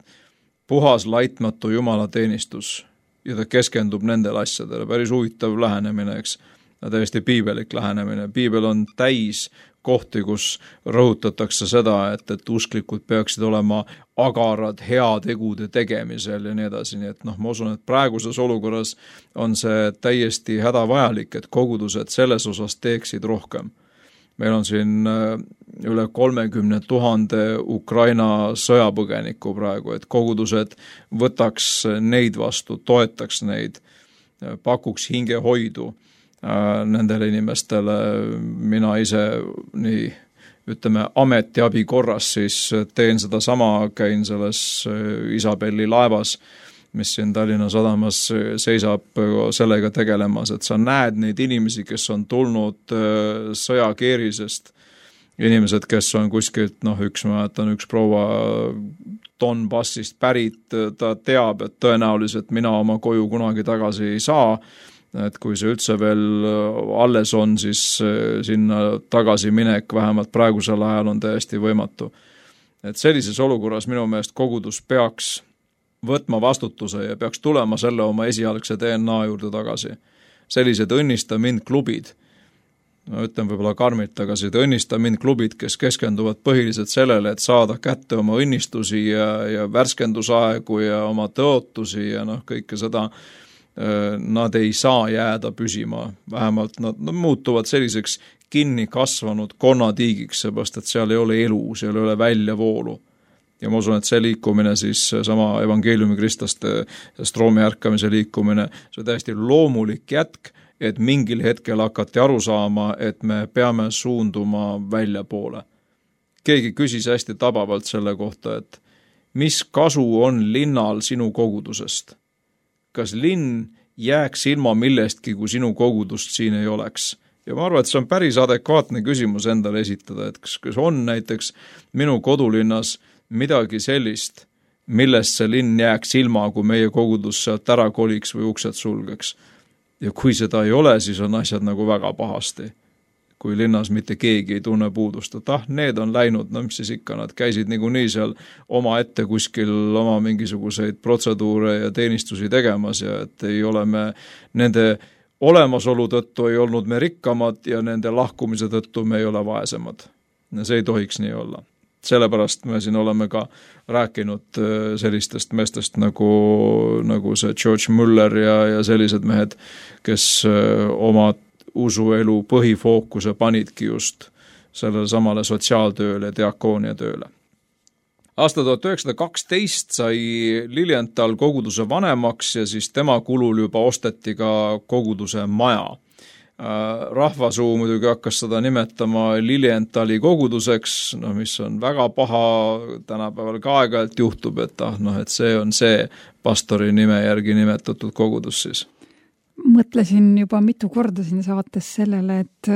Puhas, laitmatu Jumala teenistus ja ta keskendub nendele asjadele. Päris huvitav lähenemine, eks? Täiesti piibelik lähenemine. Piibel on täis kohti, kus rõhutatakse seda, et usklikud peaksid olema agarad heategude tegemisel ja nii edasi. Nii et ma usun, et praeguses olukorras on see täiesti hädavajalik, et kogudused selles osas teeksid rohkem. Meil on siin üle 30 000 Ukraina sõjapõgenikku praegu, et kogudused võtaks neid vastu, toetaks neid, pakuks hingehoidu nendele inimestele. Mina ise nii ametiabi korras siis teen seda sama, käin selles Isabelli laevas, mis siin Tallinna sadamas seisab sellega tegelemas, et sa näed neid inimesi, kes on tulnud sõjakeerisest, inimesed, kes on kuskilt, üks proua Donbassist pärit, ta teab, et tõenäoliselt mina oma koju kunagi tagasi ei saa, et kui see üldse veel alles on, siis sinna tagasi minek vähemalt praegusel ajal on täiesti võimatu. Et sellises olukorras minu meelest kogudus peaks võtma vastutuse ja peaks tulema selle oma esialgse DNA juurde tagasi. Sellised õnnista mind klubid, ma ütlen võib-olla karmilt, aga sellised õnnista mind klubid, kes keskenduvad põhiliselt sellele, et saada kätte oma õnnistusi ja värskendusaegu ja oma tõotusi ja kõike seda, nad ei saa jääda püsima, vähemalt nad muutuvad selliseks kinni kasvanud konnatiigiks, seepärast et seal ei ole elu, seal ei ole väljavoolu. Ja ma usun, et see liikumine siis sama evangeeliumi kristlaste Stroomi ärkamise liikumine, see on täiesti loomulik jätk, et mingil hetkel hakati aru saama, et me peame suunduma väljapoole. Keegi küsis hästi tabavalt selle kohta, et mis kasu on linnal sinu kogudusest? Kas linn jääks ilma millestki, kui sinu kogudust siin ei oleks? Ja ma arvan, et see on päris adekvaatne küsimus endale esitada, et kas on näiteks minu kodulinnas midagi sellist, millest see linn jääks ilma, kui meie kogudus sealt ära koliks või uksed sulgeks. Ja kui seda ei ole, siis on asjad nagu väga pahasti. Kui linnas mitte keegi ei tunne puudust, et need on läinud, mis siis ikka, nad käisid niikuinii seal oma ette kuskil oma mingisuguseid protseduure ja teenistusi tegemas ja et ei ole me nende olemasolu tõttu ei olnud me rikkamad ja nende lahkumise tõttu me ei ole vaesemad. See ei tohiks nii olla. sellepärast me siin oleme ka rääkinud sellistest meestest nagu see George Muller ja sellised mehed, kes oma usuelu põhifookuse panidki just sellele samale sotsiaaltööle ja diakoonia tööle. Aasta 1912 sai Lilienthal koguduse vanemaks ja siis tema kulul juba osteti ka koguduse maja. Rahvasuu muidugi hakkas seda nimetama Lilienthali koguduseks, mis on väga paha, tänapäeval ka aeg-ajalt juhtub, et see on see pastori nime järgi nimetatud kogudus siis. Mõtlesin juba mitu korda siin saates sellele, et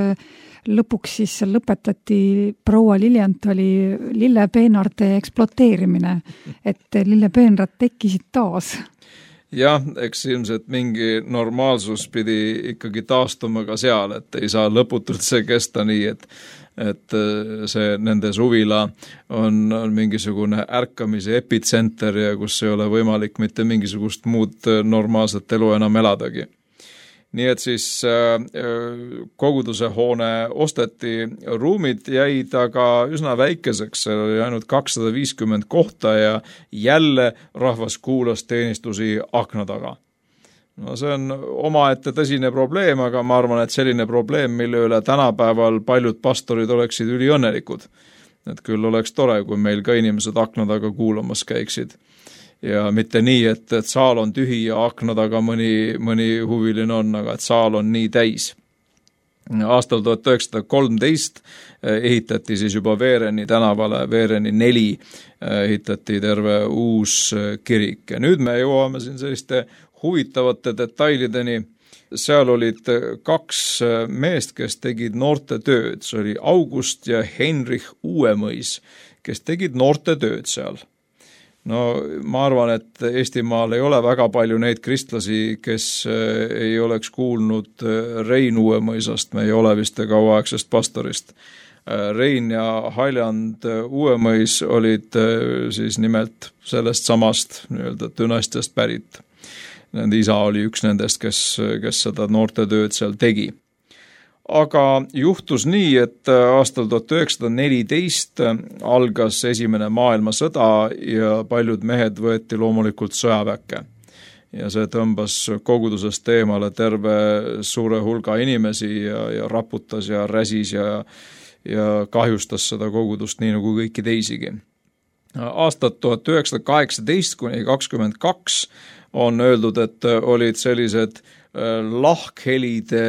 lõpuks siis lõpetati proua Lilienthali lillepeenarde eksploateerimine, et lillepeenrad tekkisid taas. Jah, eks ilmselt mingi normaalsus pidi ikkagi taastuma ka seal, et ei saa lõputult see kesta nii, et see nende suvila on mingisugune ärkamise epitsenter ja kus ei ole võimalik mitte mingisugust muud normaalset elu enam eladagi. Nii et siis koguduse hoone osteti, ruumid jäid aga üsna väikeseks, seal oli ainult 250 kohta ja jälle rahvas kuulas teenistusi akna taga. No see on omaette tõsine probleem, aga ma arvan, et selline probleem, mille üle tänapäeval paljud pastorid oleksid üliõnnelikud. Et küll oleks tore, kui meil ka inimesed akna taga kuulamas käiksid. Ja mitte nii, et saal on tühi ja akna taga mõni huviline on, aga et saal on nii täis. Aastal 1913 ehitati siis juba Veereni tänavale, Veereni 4 ehitati terve uus kirik. Ja nüüd me jõuame siin selliste huvitavate detailideni. Seal olid 2 meest, kes tegid noorte tööd. See oli August ja Heinrich Uuemõis, kes tegid noorte tööd seal. No ma arvan, et Eestimaal ei ole väga palju neid kristlasi, kes ei oleks kuulnud Rein Uuemõisast, me ei ole vist kauaaegsest pastorist. Rein ja Haljand Uuemõis olid siis nimelt sellest samast dünastiast pärit. Nende isa oli üks nendest, kes seda noorte tööd seal tegi. Aga juhtus nii, et aastal 1914 algas esimene maailmasõda ja paljud mehed võeti loomulikult sõjaväkke. Ja see tõmbas kogudusest eemale terve suure hulga inimesi ja raputas ja räsis ja kahjustas seda kogudust nii nagu kõiki teisigi. Aastad 1918–22 on öeldud, et olid sellised lahkhelide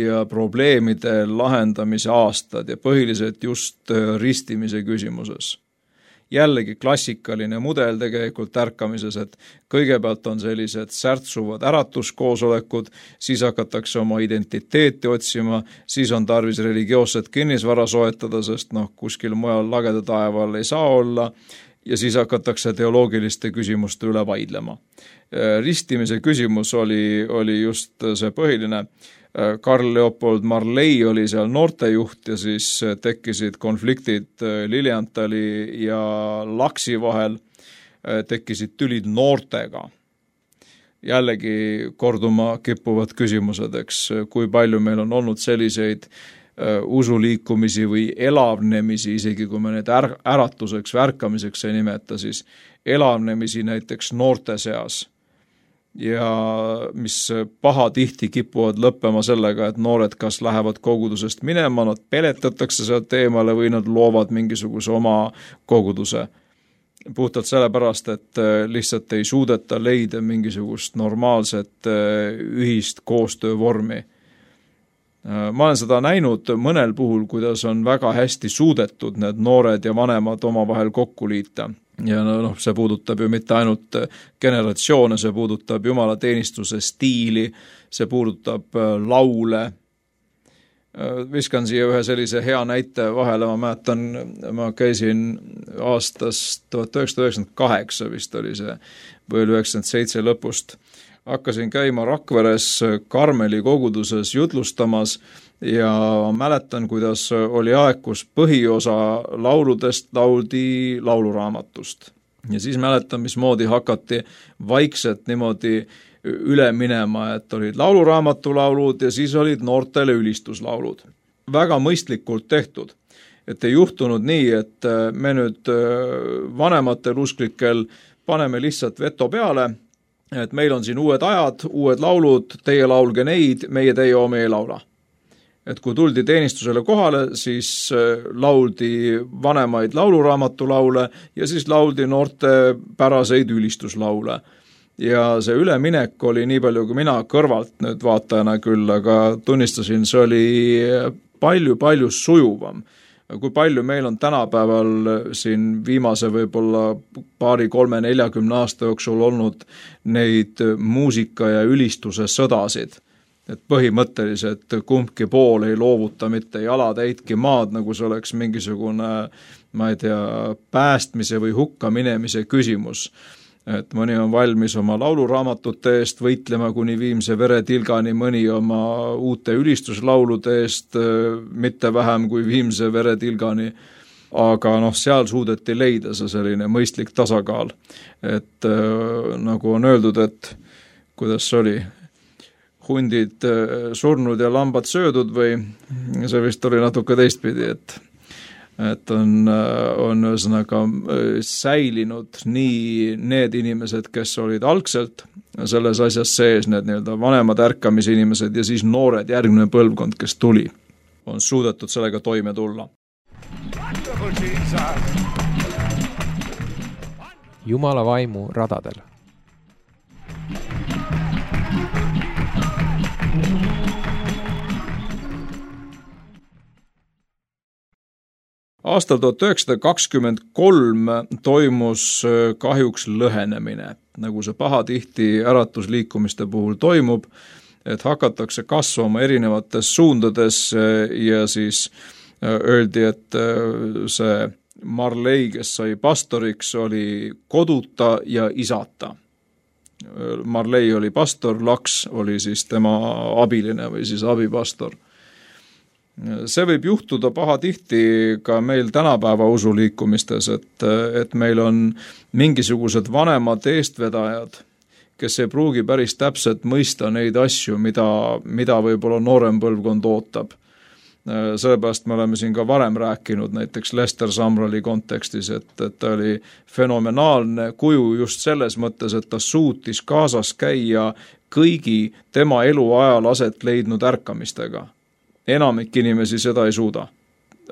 ja probleemide lahendamise aastad ja põhiliselt just ristimise küsimuses. Jällegi klassikaline mudel tegelikult ärkamises, et kõigepealt on sellised särtsuvad äratuskoosolekud, siis hakatakse oma identiteeti otsima, siis on tarvis religioosset kinnisvara soetada, sest kuskil mujal lageda taeval ei saa olla, ja siis hakatakse teoloogiliste küsimuste üle vaidlema. Ristimise küsimus oli just see põhiline. Karl Leopold Marley oli seal noortejuht ja siis tekkisid konfliktid Lilienthali ja Laksi vahel, tekkisid tülid noortega. Jällegi korduma kippuvad küsimused, eks, kui palju meil on olnud selliseid usuliikumisi või elavnemisi, isegi kui me need äratuseks või ärkamiseks ei nimeta, siis elavnemisi näiteks noorte seas. Ja mis pahatihti kipuvad lõppema sellega, et noored kas lähevad kogudusest minema, nad peletatakse sealt eemale või nad loovad mingisuguse oma koguduse. Puhtalt sellepärast, et lihtsalt ei suudeta leida mingisugust normaalset ühist koostöövormi. Ma olen seda näinud mõnel puhul, kuidas on väga hästi suudetud need noored ja vanemad omavahel kokku liita. Ja see puudutab ju mitte ainult generatsioone, see puudutab jumalateenistuse stiili, see puudutab laule. Viskan siia ühe sellise hea näite vahele, ma mäletan, ma käisin aastast 1998 vist oli see, või 97 lõpust. Hakkasin käima Rakveres Karmeli koguduses jutlustamas ja mäletan, kuidas oli aeg, kus põhiosa lauludest lauldi lauluraamatust. Ja siis mäletan, mismoodi hakati vaikselt niimoodi üle minema, et olid lauluraamatu laulud ja siis olid noortele ülistuslaulud. Väga mõistlikult tehtud. et ei juhtunud nii, et me nüüd vanematel usklikel paneme lihtsalt veto peale, et meil on siin uued ajad, uued laulud, teie laulge neid, teie oma ei laula. Et kui tuldi teenistusele kohale, siis lauldi vanemaid lauluraamatu laule ja siis lauldi noorte päraseid ülistuslaule. Ja see üleminek oli nii palju, kui mina kõrvalt nüüd vaatajana küll, aga tunnistasin, see oli palju sujuvam. Kui palju meil on tänapäeval siin viimase võib-olla 2-3-40 aasta jooksul olnud neid muusika ja ülistuse sõdasid. Et põhimõtteliselt kumbki pool ei loovuta mitte jalatäitki maad, nagu see oleks mingisugune, ma ei tea, päästmise või hukka minemise küsimus. Et mõni on valmis oma lauluraamatute eest võitlema kuni viimse veretilgani, mõni oma uute ülistuslaulude eest mitte vähem kui viimse veretilgani. Aga seal suudeti leida see selline mõistlik tasakaal. Et nagu on öeldud, et kuidas see oli, hundid surnud ja lambad söödud või see vist oli natuke teistpidi, et on ühesõnaga säilinud nii need inimesed, kes olid algselt selles asjas sees, need nii-öelda vanemad ärkamisinimesed ja siis noored, järgmine põlvkond, kes tuli, on suudetud sellega toime tulla. Jumala vaimu radadel. Aastal 1923 toimus kahjuks lõhenemine, nagu see pahatihti äratusliikumiste puhul toimub, et hakatakse kasvama erinevates suundades ja siis öeldi, et see Marley, kes sai pastoriks, oli koduta ja isata. Marley oli pastor, Laks oli siis tema abiline või siis abipastor. See võib juhtuda pahatihti ka meil tänapäeva usuliikumistes, et meil on mingisugused vanemad eestvedajad, kes ei pruugi päris täpselt mõista neid asju, mida võib-olla noorem põlvkond ootab. Sellepärast me oleme siin ka varem rääkinud näiteks Lester Sumralli kontekstis, et ta oli fenomenaalne kuju just selles mõttes, et ta suutis kaasas käia kõigi tema eluajal aset leidnud ärkamistega. Enamik inimesi seda ei suuda.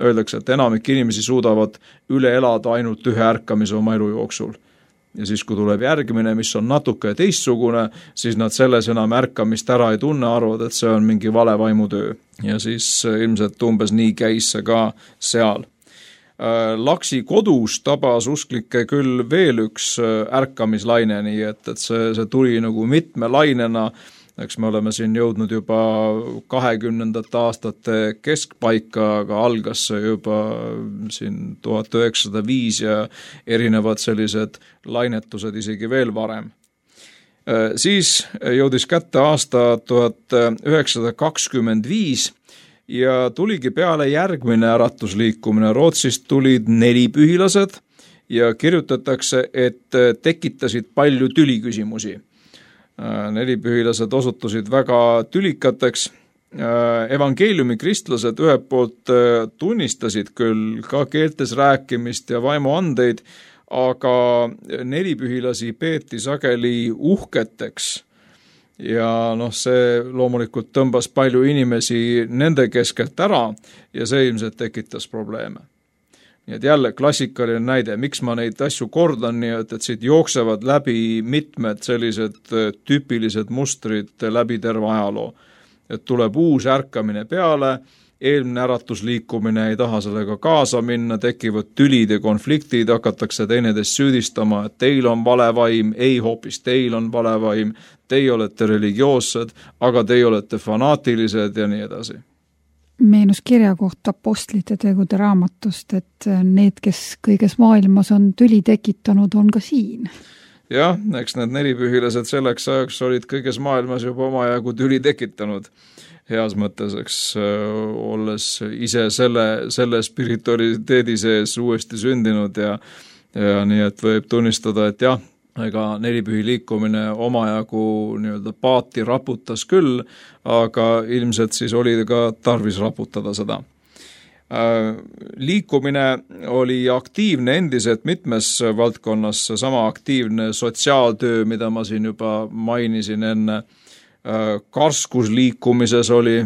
Öeldakse, et enamik inimesi suudavad üle elada ainult ühe ärkamise oma elu jooksul. Ja siis, kui tuleb järgmine, mis on natuke teistsugune, siis nad selles enam ärkamist ära ei tunne, arvad, et see on mingi vale vaimutöö. Ja siis ilmselt umbes nii käis see ka seal. Laksi kodus tabas usklikke küll veel üks ärkamislaine, nii et see tuli nagu mitme lainena. Eks me oleme siin jõudnud juba 20. aastate keskpaika, aga algas see juba siin 1905 ja erinevad sellised lainetused isegi veel varem. Siis jõudis kätte aasta 1925 ja tuligi peale järgmine äratusliikumine. Rootsist tulid nelipühilased ja kirjutatakse, et tekitasid palju tüliküsimusi. Nelipühilased osutusid väga tülikateks. Evangeeliumi kristlased ühelt poolt tunnistasid küll ka keeltes rääkimist ja vaimuandeid, aga nelipühilasi peeti sageli uhketeks. Ja see loomulikult tõmbas palju inimesi nende keskelt ära ja see ilmselt tekitas probleeme. Nii et jälle klassikaline näide, miks ma neid asju kordan, nii et siit jooksevad läbi mitmed sellised tüüpilised mustrid läbi terve ajaloo. Et tuleb uus ärkamine peale, eelmine äratusliikumine ei taha sellega kaasa minna, tekivad tülid ja konfliktid, hakatakse teineteist süüdistama, et teil on vale vaim, ei hoopis teil on vale vaim, teie olete religioossed, aga teie olete fanaatilised ja nii edasi. Meenus kirja kohta Apostlite tegude raamatust, et need, kes kõiges maailmas on tüli tekitanud, on ka siin. Jah, eks need nelipühilased selleks ajaks olid kõiges maailmas juba omajagu tüli tekitanud. Heas mõttes, eks olles ise selle spiritualiteedi sees uuesti sündinud ja nii, et võib tunnistada, et jah, ega nelipühi liikumine omajagu nii-öelda paati raputas küll, aga ilmselt siis oli ka tarvis raputada seda. Liikumine oli aktiivne endiselt mitmes valdkonnas, sama aktiivne sotsiaaltöö, mida ma siin juba mainisin enne, karskusliikumises oli,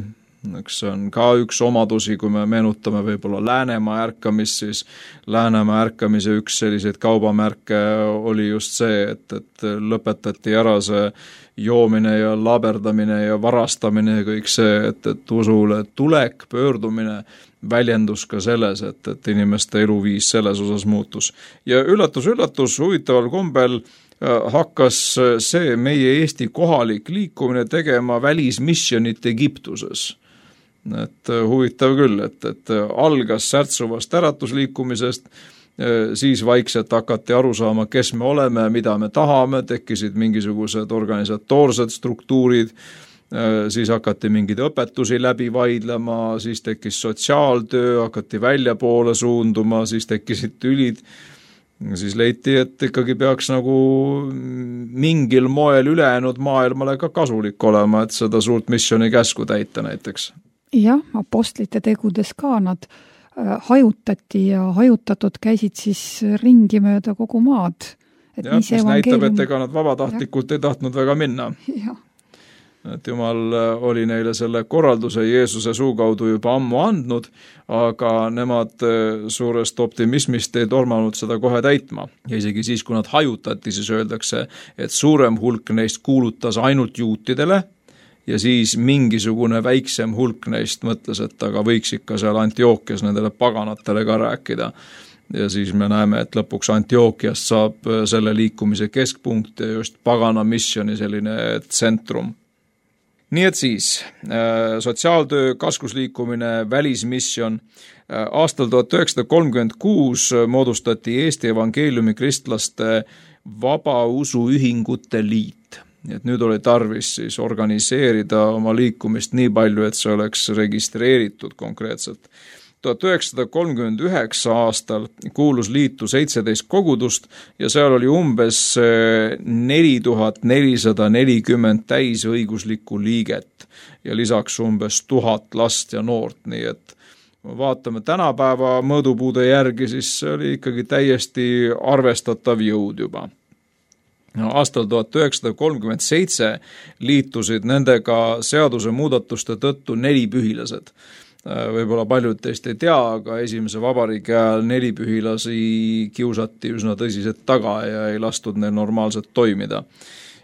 see on ka üks omadusi, kui me meenutame võib-olla Läänemaa ärkamist, siis Läänemaa ärkamise üks selliseid kaubamärke oli just see, et lõpetati ära see joomine ja laberdamine ja varastamine ja kõik see, et usule tulek, pöördumine väljendus ka selles, et inimeste eluviis selles osas muutus. Ja üllatus, huvitaval kombel hakkas see meie Eesti kohalik liikumine tegema välismissionit Egiptuses. Et huvitav küll, et algas särtsuvast äratusliikumisest, siis vaikselt hakati aru saama, kes me oleme, mida me tahame, tekkisid mingisugused organisatoorsed struktuurid, siis hakati mingeid õpetusi läbi vaidlema, siis tekkis sotsiaaltöö, hakati väljapoole suunduma, siis tekkisid tülid, siis leiti, et ikkagi peaks nagu mingil moel ülejäänud maailmale ka kasulik olema, et seda suurt missioni käsku täita näiteks. Jah, apostlite tegudes ka nad hajutati ja hajutatud käisid siis ringi mööda kogu maad. Jah, mis näitab, et ega nad vabatahtlikult ei tahtnud väga minna. Jah. Et Jumal oli neile selle korralduse Jeesuse suu kaudu juba ammu andnud, aga nemad suurest optimismist ei tormanud seda kohe täitma. Ja isegi siis, kui nad hajutati, siis öeldakse, et suurem hulk neist kuulutas ainult juutidele ja siis mingisugune väiksem hulk neist mõtles, et aga võiks ikka seal Antiookias nendele paganatele ka rääkida. Ja siis me näeme, et lõpuks Antiookiast saab selle liikumise keskpunkt ja just pagana missioni selline tsentrum. Nii et siis sotsiaaltöö, kaskusliikumine, välismission. Aastal 1936 moodustati Eesti evangeeliumi kristlaste vabausuühingute liit. Et nüüd oli tarvis siis organiseerida oma liikumist nii palju, et see oleks registreeritud konkreetselt. 1939 aastal kuulus liitu 17 kogudust ja seal oli umbes 4440 täisõiguslikku liiget ja lisaks umbes 1000 last ja noort, nii et vaatame tänapäeva mõõdupuude järgi, siis see oli ikkagi täiesti arvestatav jõud juba. Aastal 1937 liitusid nendega seaduse muudatuste tõttu 4 pühilased. Võib-olla paljud teist ei tea, aga esimese vabariigi ajal 4 pühilasi kiusati üsna tõsiselt taga ja ei lastud neil normaalselt toimida.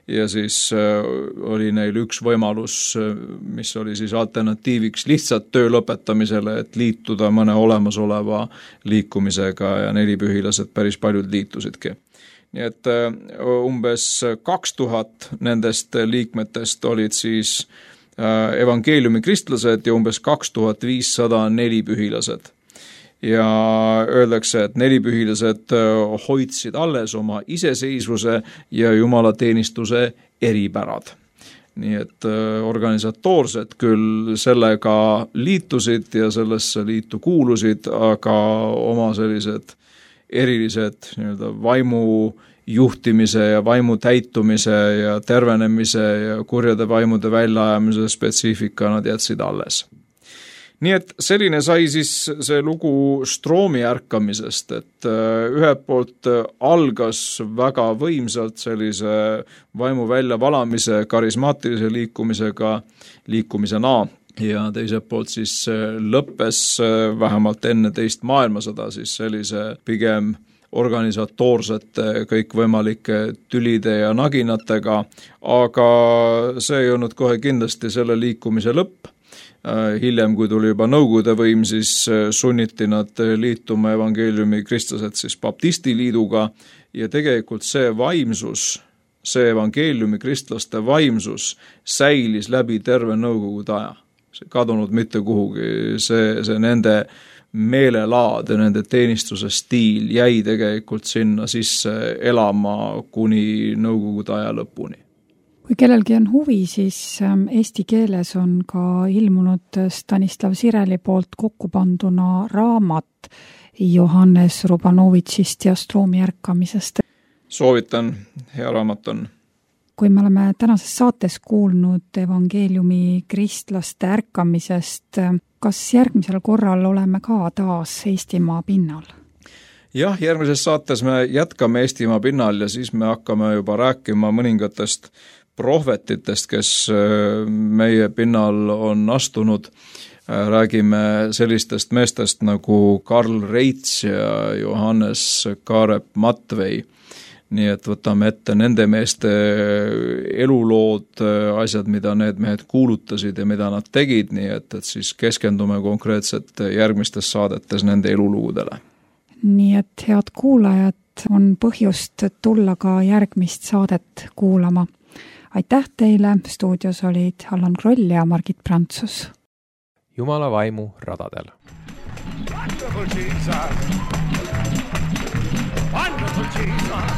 Ja siis oli neil üks võimalus, mis oli siis alternatiiviks lihtsalt töö lõpetamisele, et liituda mõne olemasoleva liikumisega ja 4 pühilased päris paljud liitusidki. Nii et umbes 2000 nendest liikmetest olid siis evangeeliumi kristlased ja umbes 2504 pühilased. Ja öeldakse, et 4 pühilased hoidsid alles oma iseseisvuse ja jumalateenistuse eripärad. Nii et organisatoorsed küll sellega liitusid ja sellesse liitu kuulusid, aga oma sellised erilised vaimu juhtimise ja vaimu täitumise ja tervenemise ja kurjade vaimude väljaajamise spetsiifika nad jätsid alles. Nii et selline sai siis see lugu Stroomi ärkamisest, et ühelt poolt algas väga võimsalt sellise vaimu väljavalamise karismaatilise liikumisena ja teiselt poolt siis lõppes vähemalt enne teist maailmasõda siis sellise pigem organisatoorsete kõikvõimalike tülide ja naginatega, aga see ei olnud kohe kindlasti selle liikumise lõpp. Hiljem, kui tuli juba Nõukogude võim, siis sunniti nad liituma evangeeliumi kristlased siis baptistiliiduga ja tegelikult see vaimsus, see evangeeliumi kristlaste vaimsus säilis läbi terve Nõukogude aja. See kadunud mitte kuhugi, see nende meelelaad ja nende teenistuse stiil jäi tegelikult sinna sisse elama kuni Nõukogude aja lõpuni. Kui kellelgi on huvi, siis eesti keeles on ka ilmunud Stanislav Sireli poolt kokku panduna raamat Johannes Rubanovitšist ja Stroomi ärkamisest. Soovitan, hea raamat on. kui me oleme tänases saates kuulnud evangeeliumi kristlaste ärkamisest, kas järgmisel korral oleme ka taas Eestimaa pinnal? Jah, järgmises saates me jätkame Eestimaa pinnal ja siis me hakkame juba rääkima mõningatest prohvetitest, kes meie pinnal on astunud. Räägime sellistest meestest nagu Karl Reits ja Johannes Kaarep Matvei. Nii et võtame ette nende meeste elulood, asjad, mida need mehed kuulutasid ja mida nad tegid, nii et siis keskendume konkreetselt järgmistes saadetes nende elulugudele. Nii et head kuulajad, on põhjust tulla ka järgmist saadet kuulama. Aitäh teile, stuudios olid Allan Kroll ja Margit Prantsus. Jumala vaimu radadel. Wonderful Jesus. Wonderful Jesus.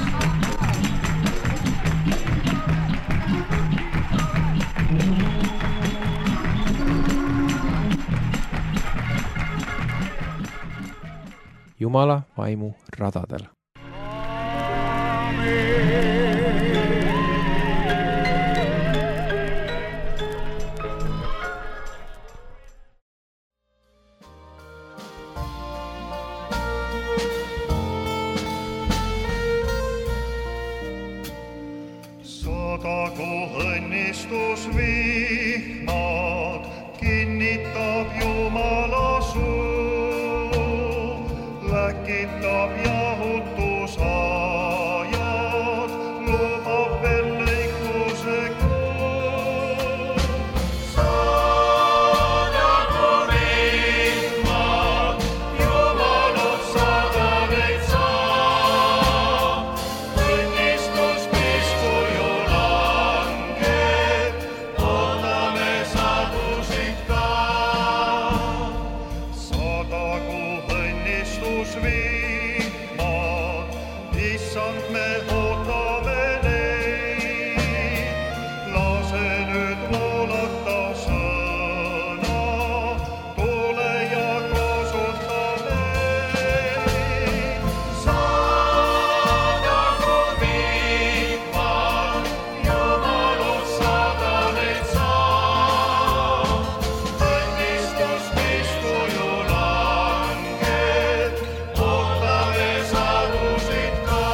Jumala vaimu radadel. Sadagu õnnistus vihmad, kinnitab Jumala suu, läkitab jahutusajad, lubab veel lõikuse kuu. Sadagu vihmad, Jumalad sada neid saab, õnnistus piskuju langeb, oodame sadusid ka. Sadagu õnnistus vihmad, issand, me ootame neid. Lase nüüd voolata sõna, tule ja koosuta meid. Sadagu vihmad, Jumalad sada neid saab, õnnistus piskuju langeb, ootame sadusid ka.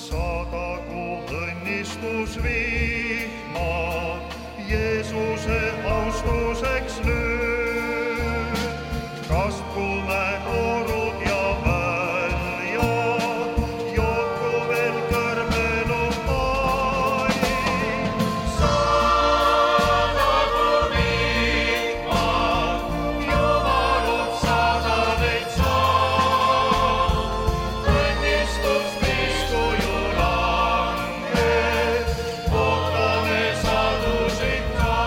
Sadagu õnnistus vihmad, Jeesuse austuseks nüüd, kaskume koorud ja väljad, jootku veel kõrbenud maid. Sadagu vihmad, Jumalad sada neid saab, õnnistus piskuju langeb, ootame sadusid ka.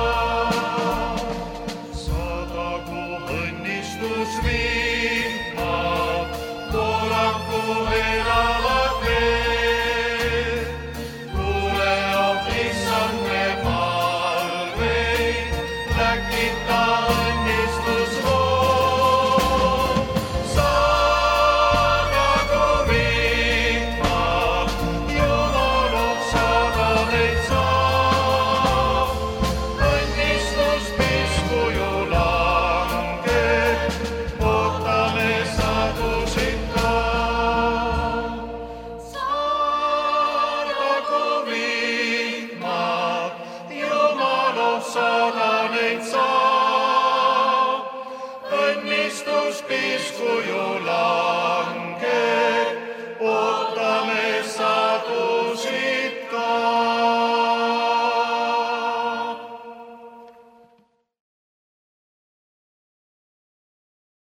Sadagu õnnistus vihmad, tooraku elavad veel. Kuule, issand, me palveid, läkita õnni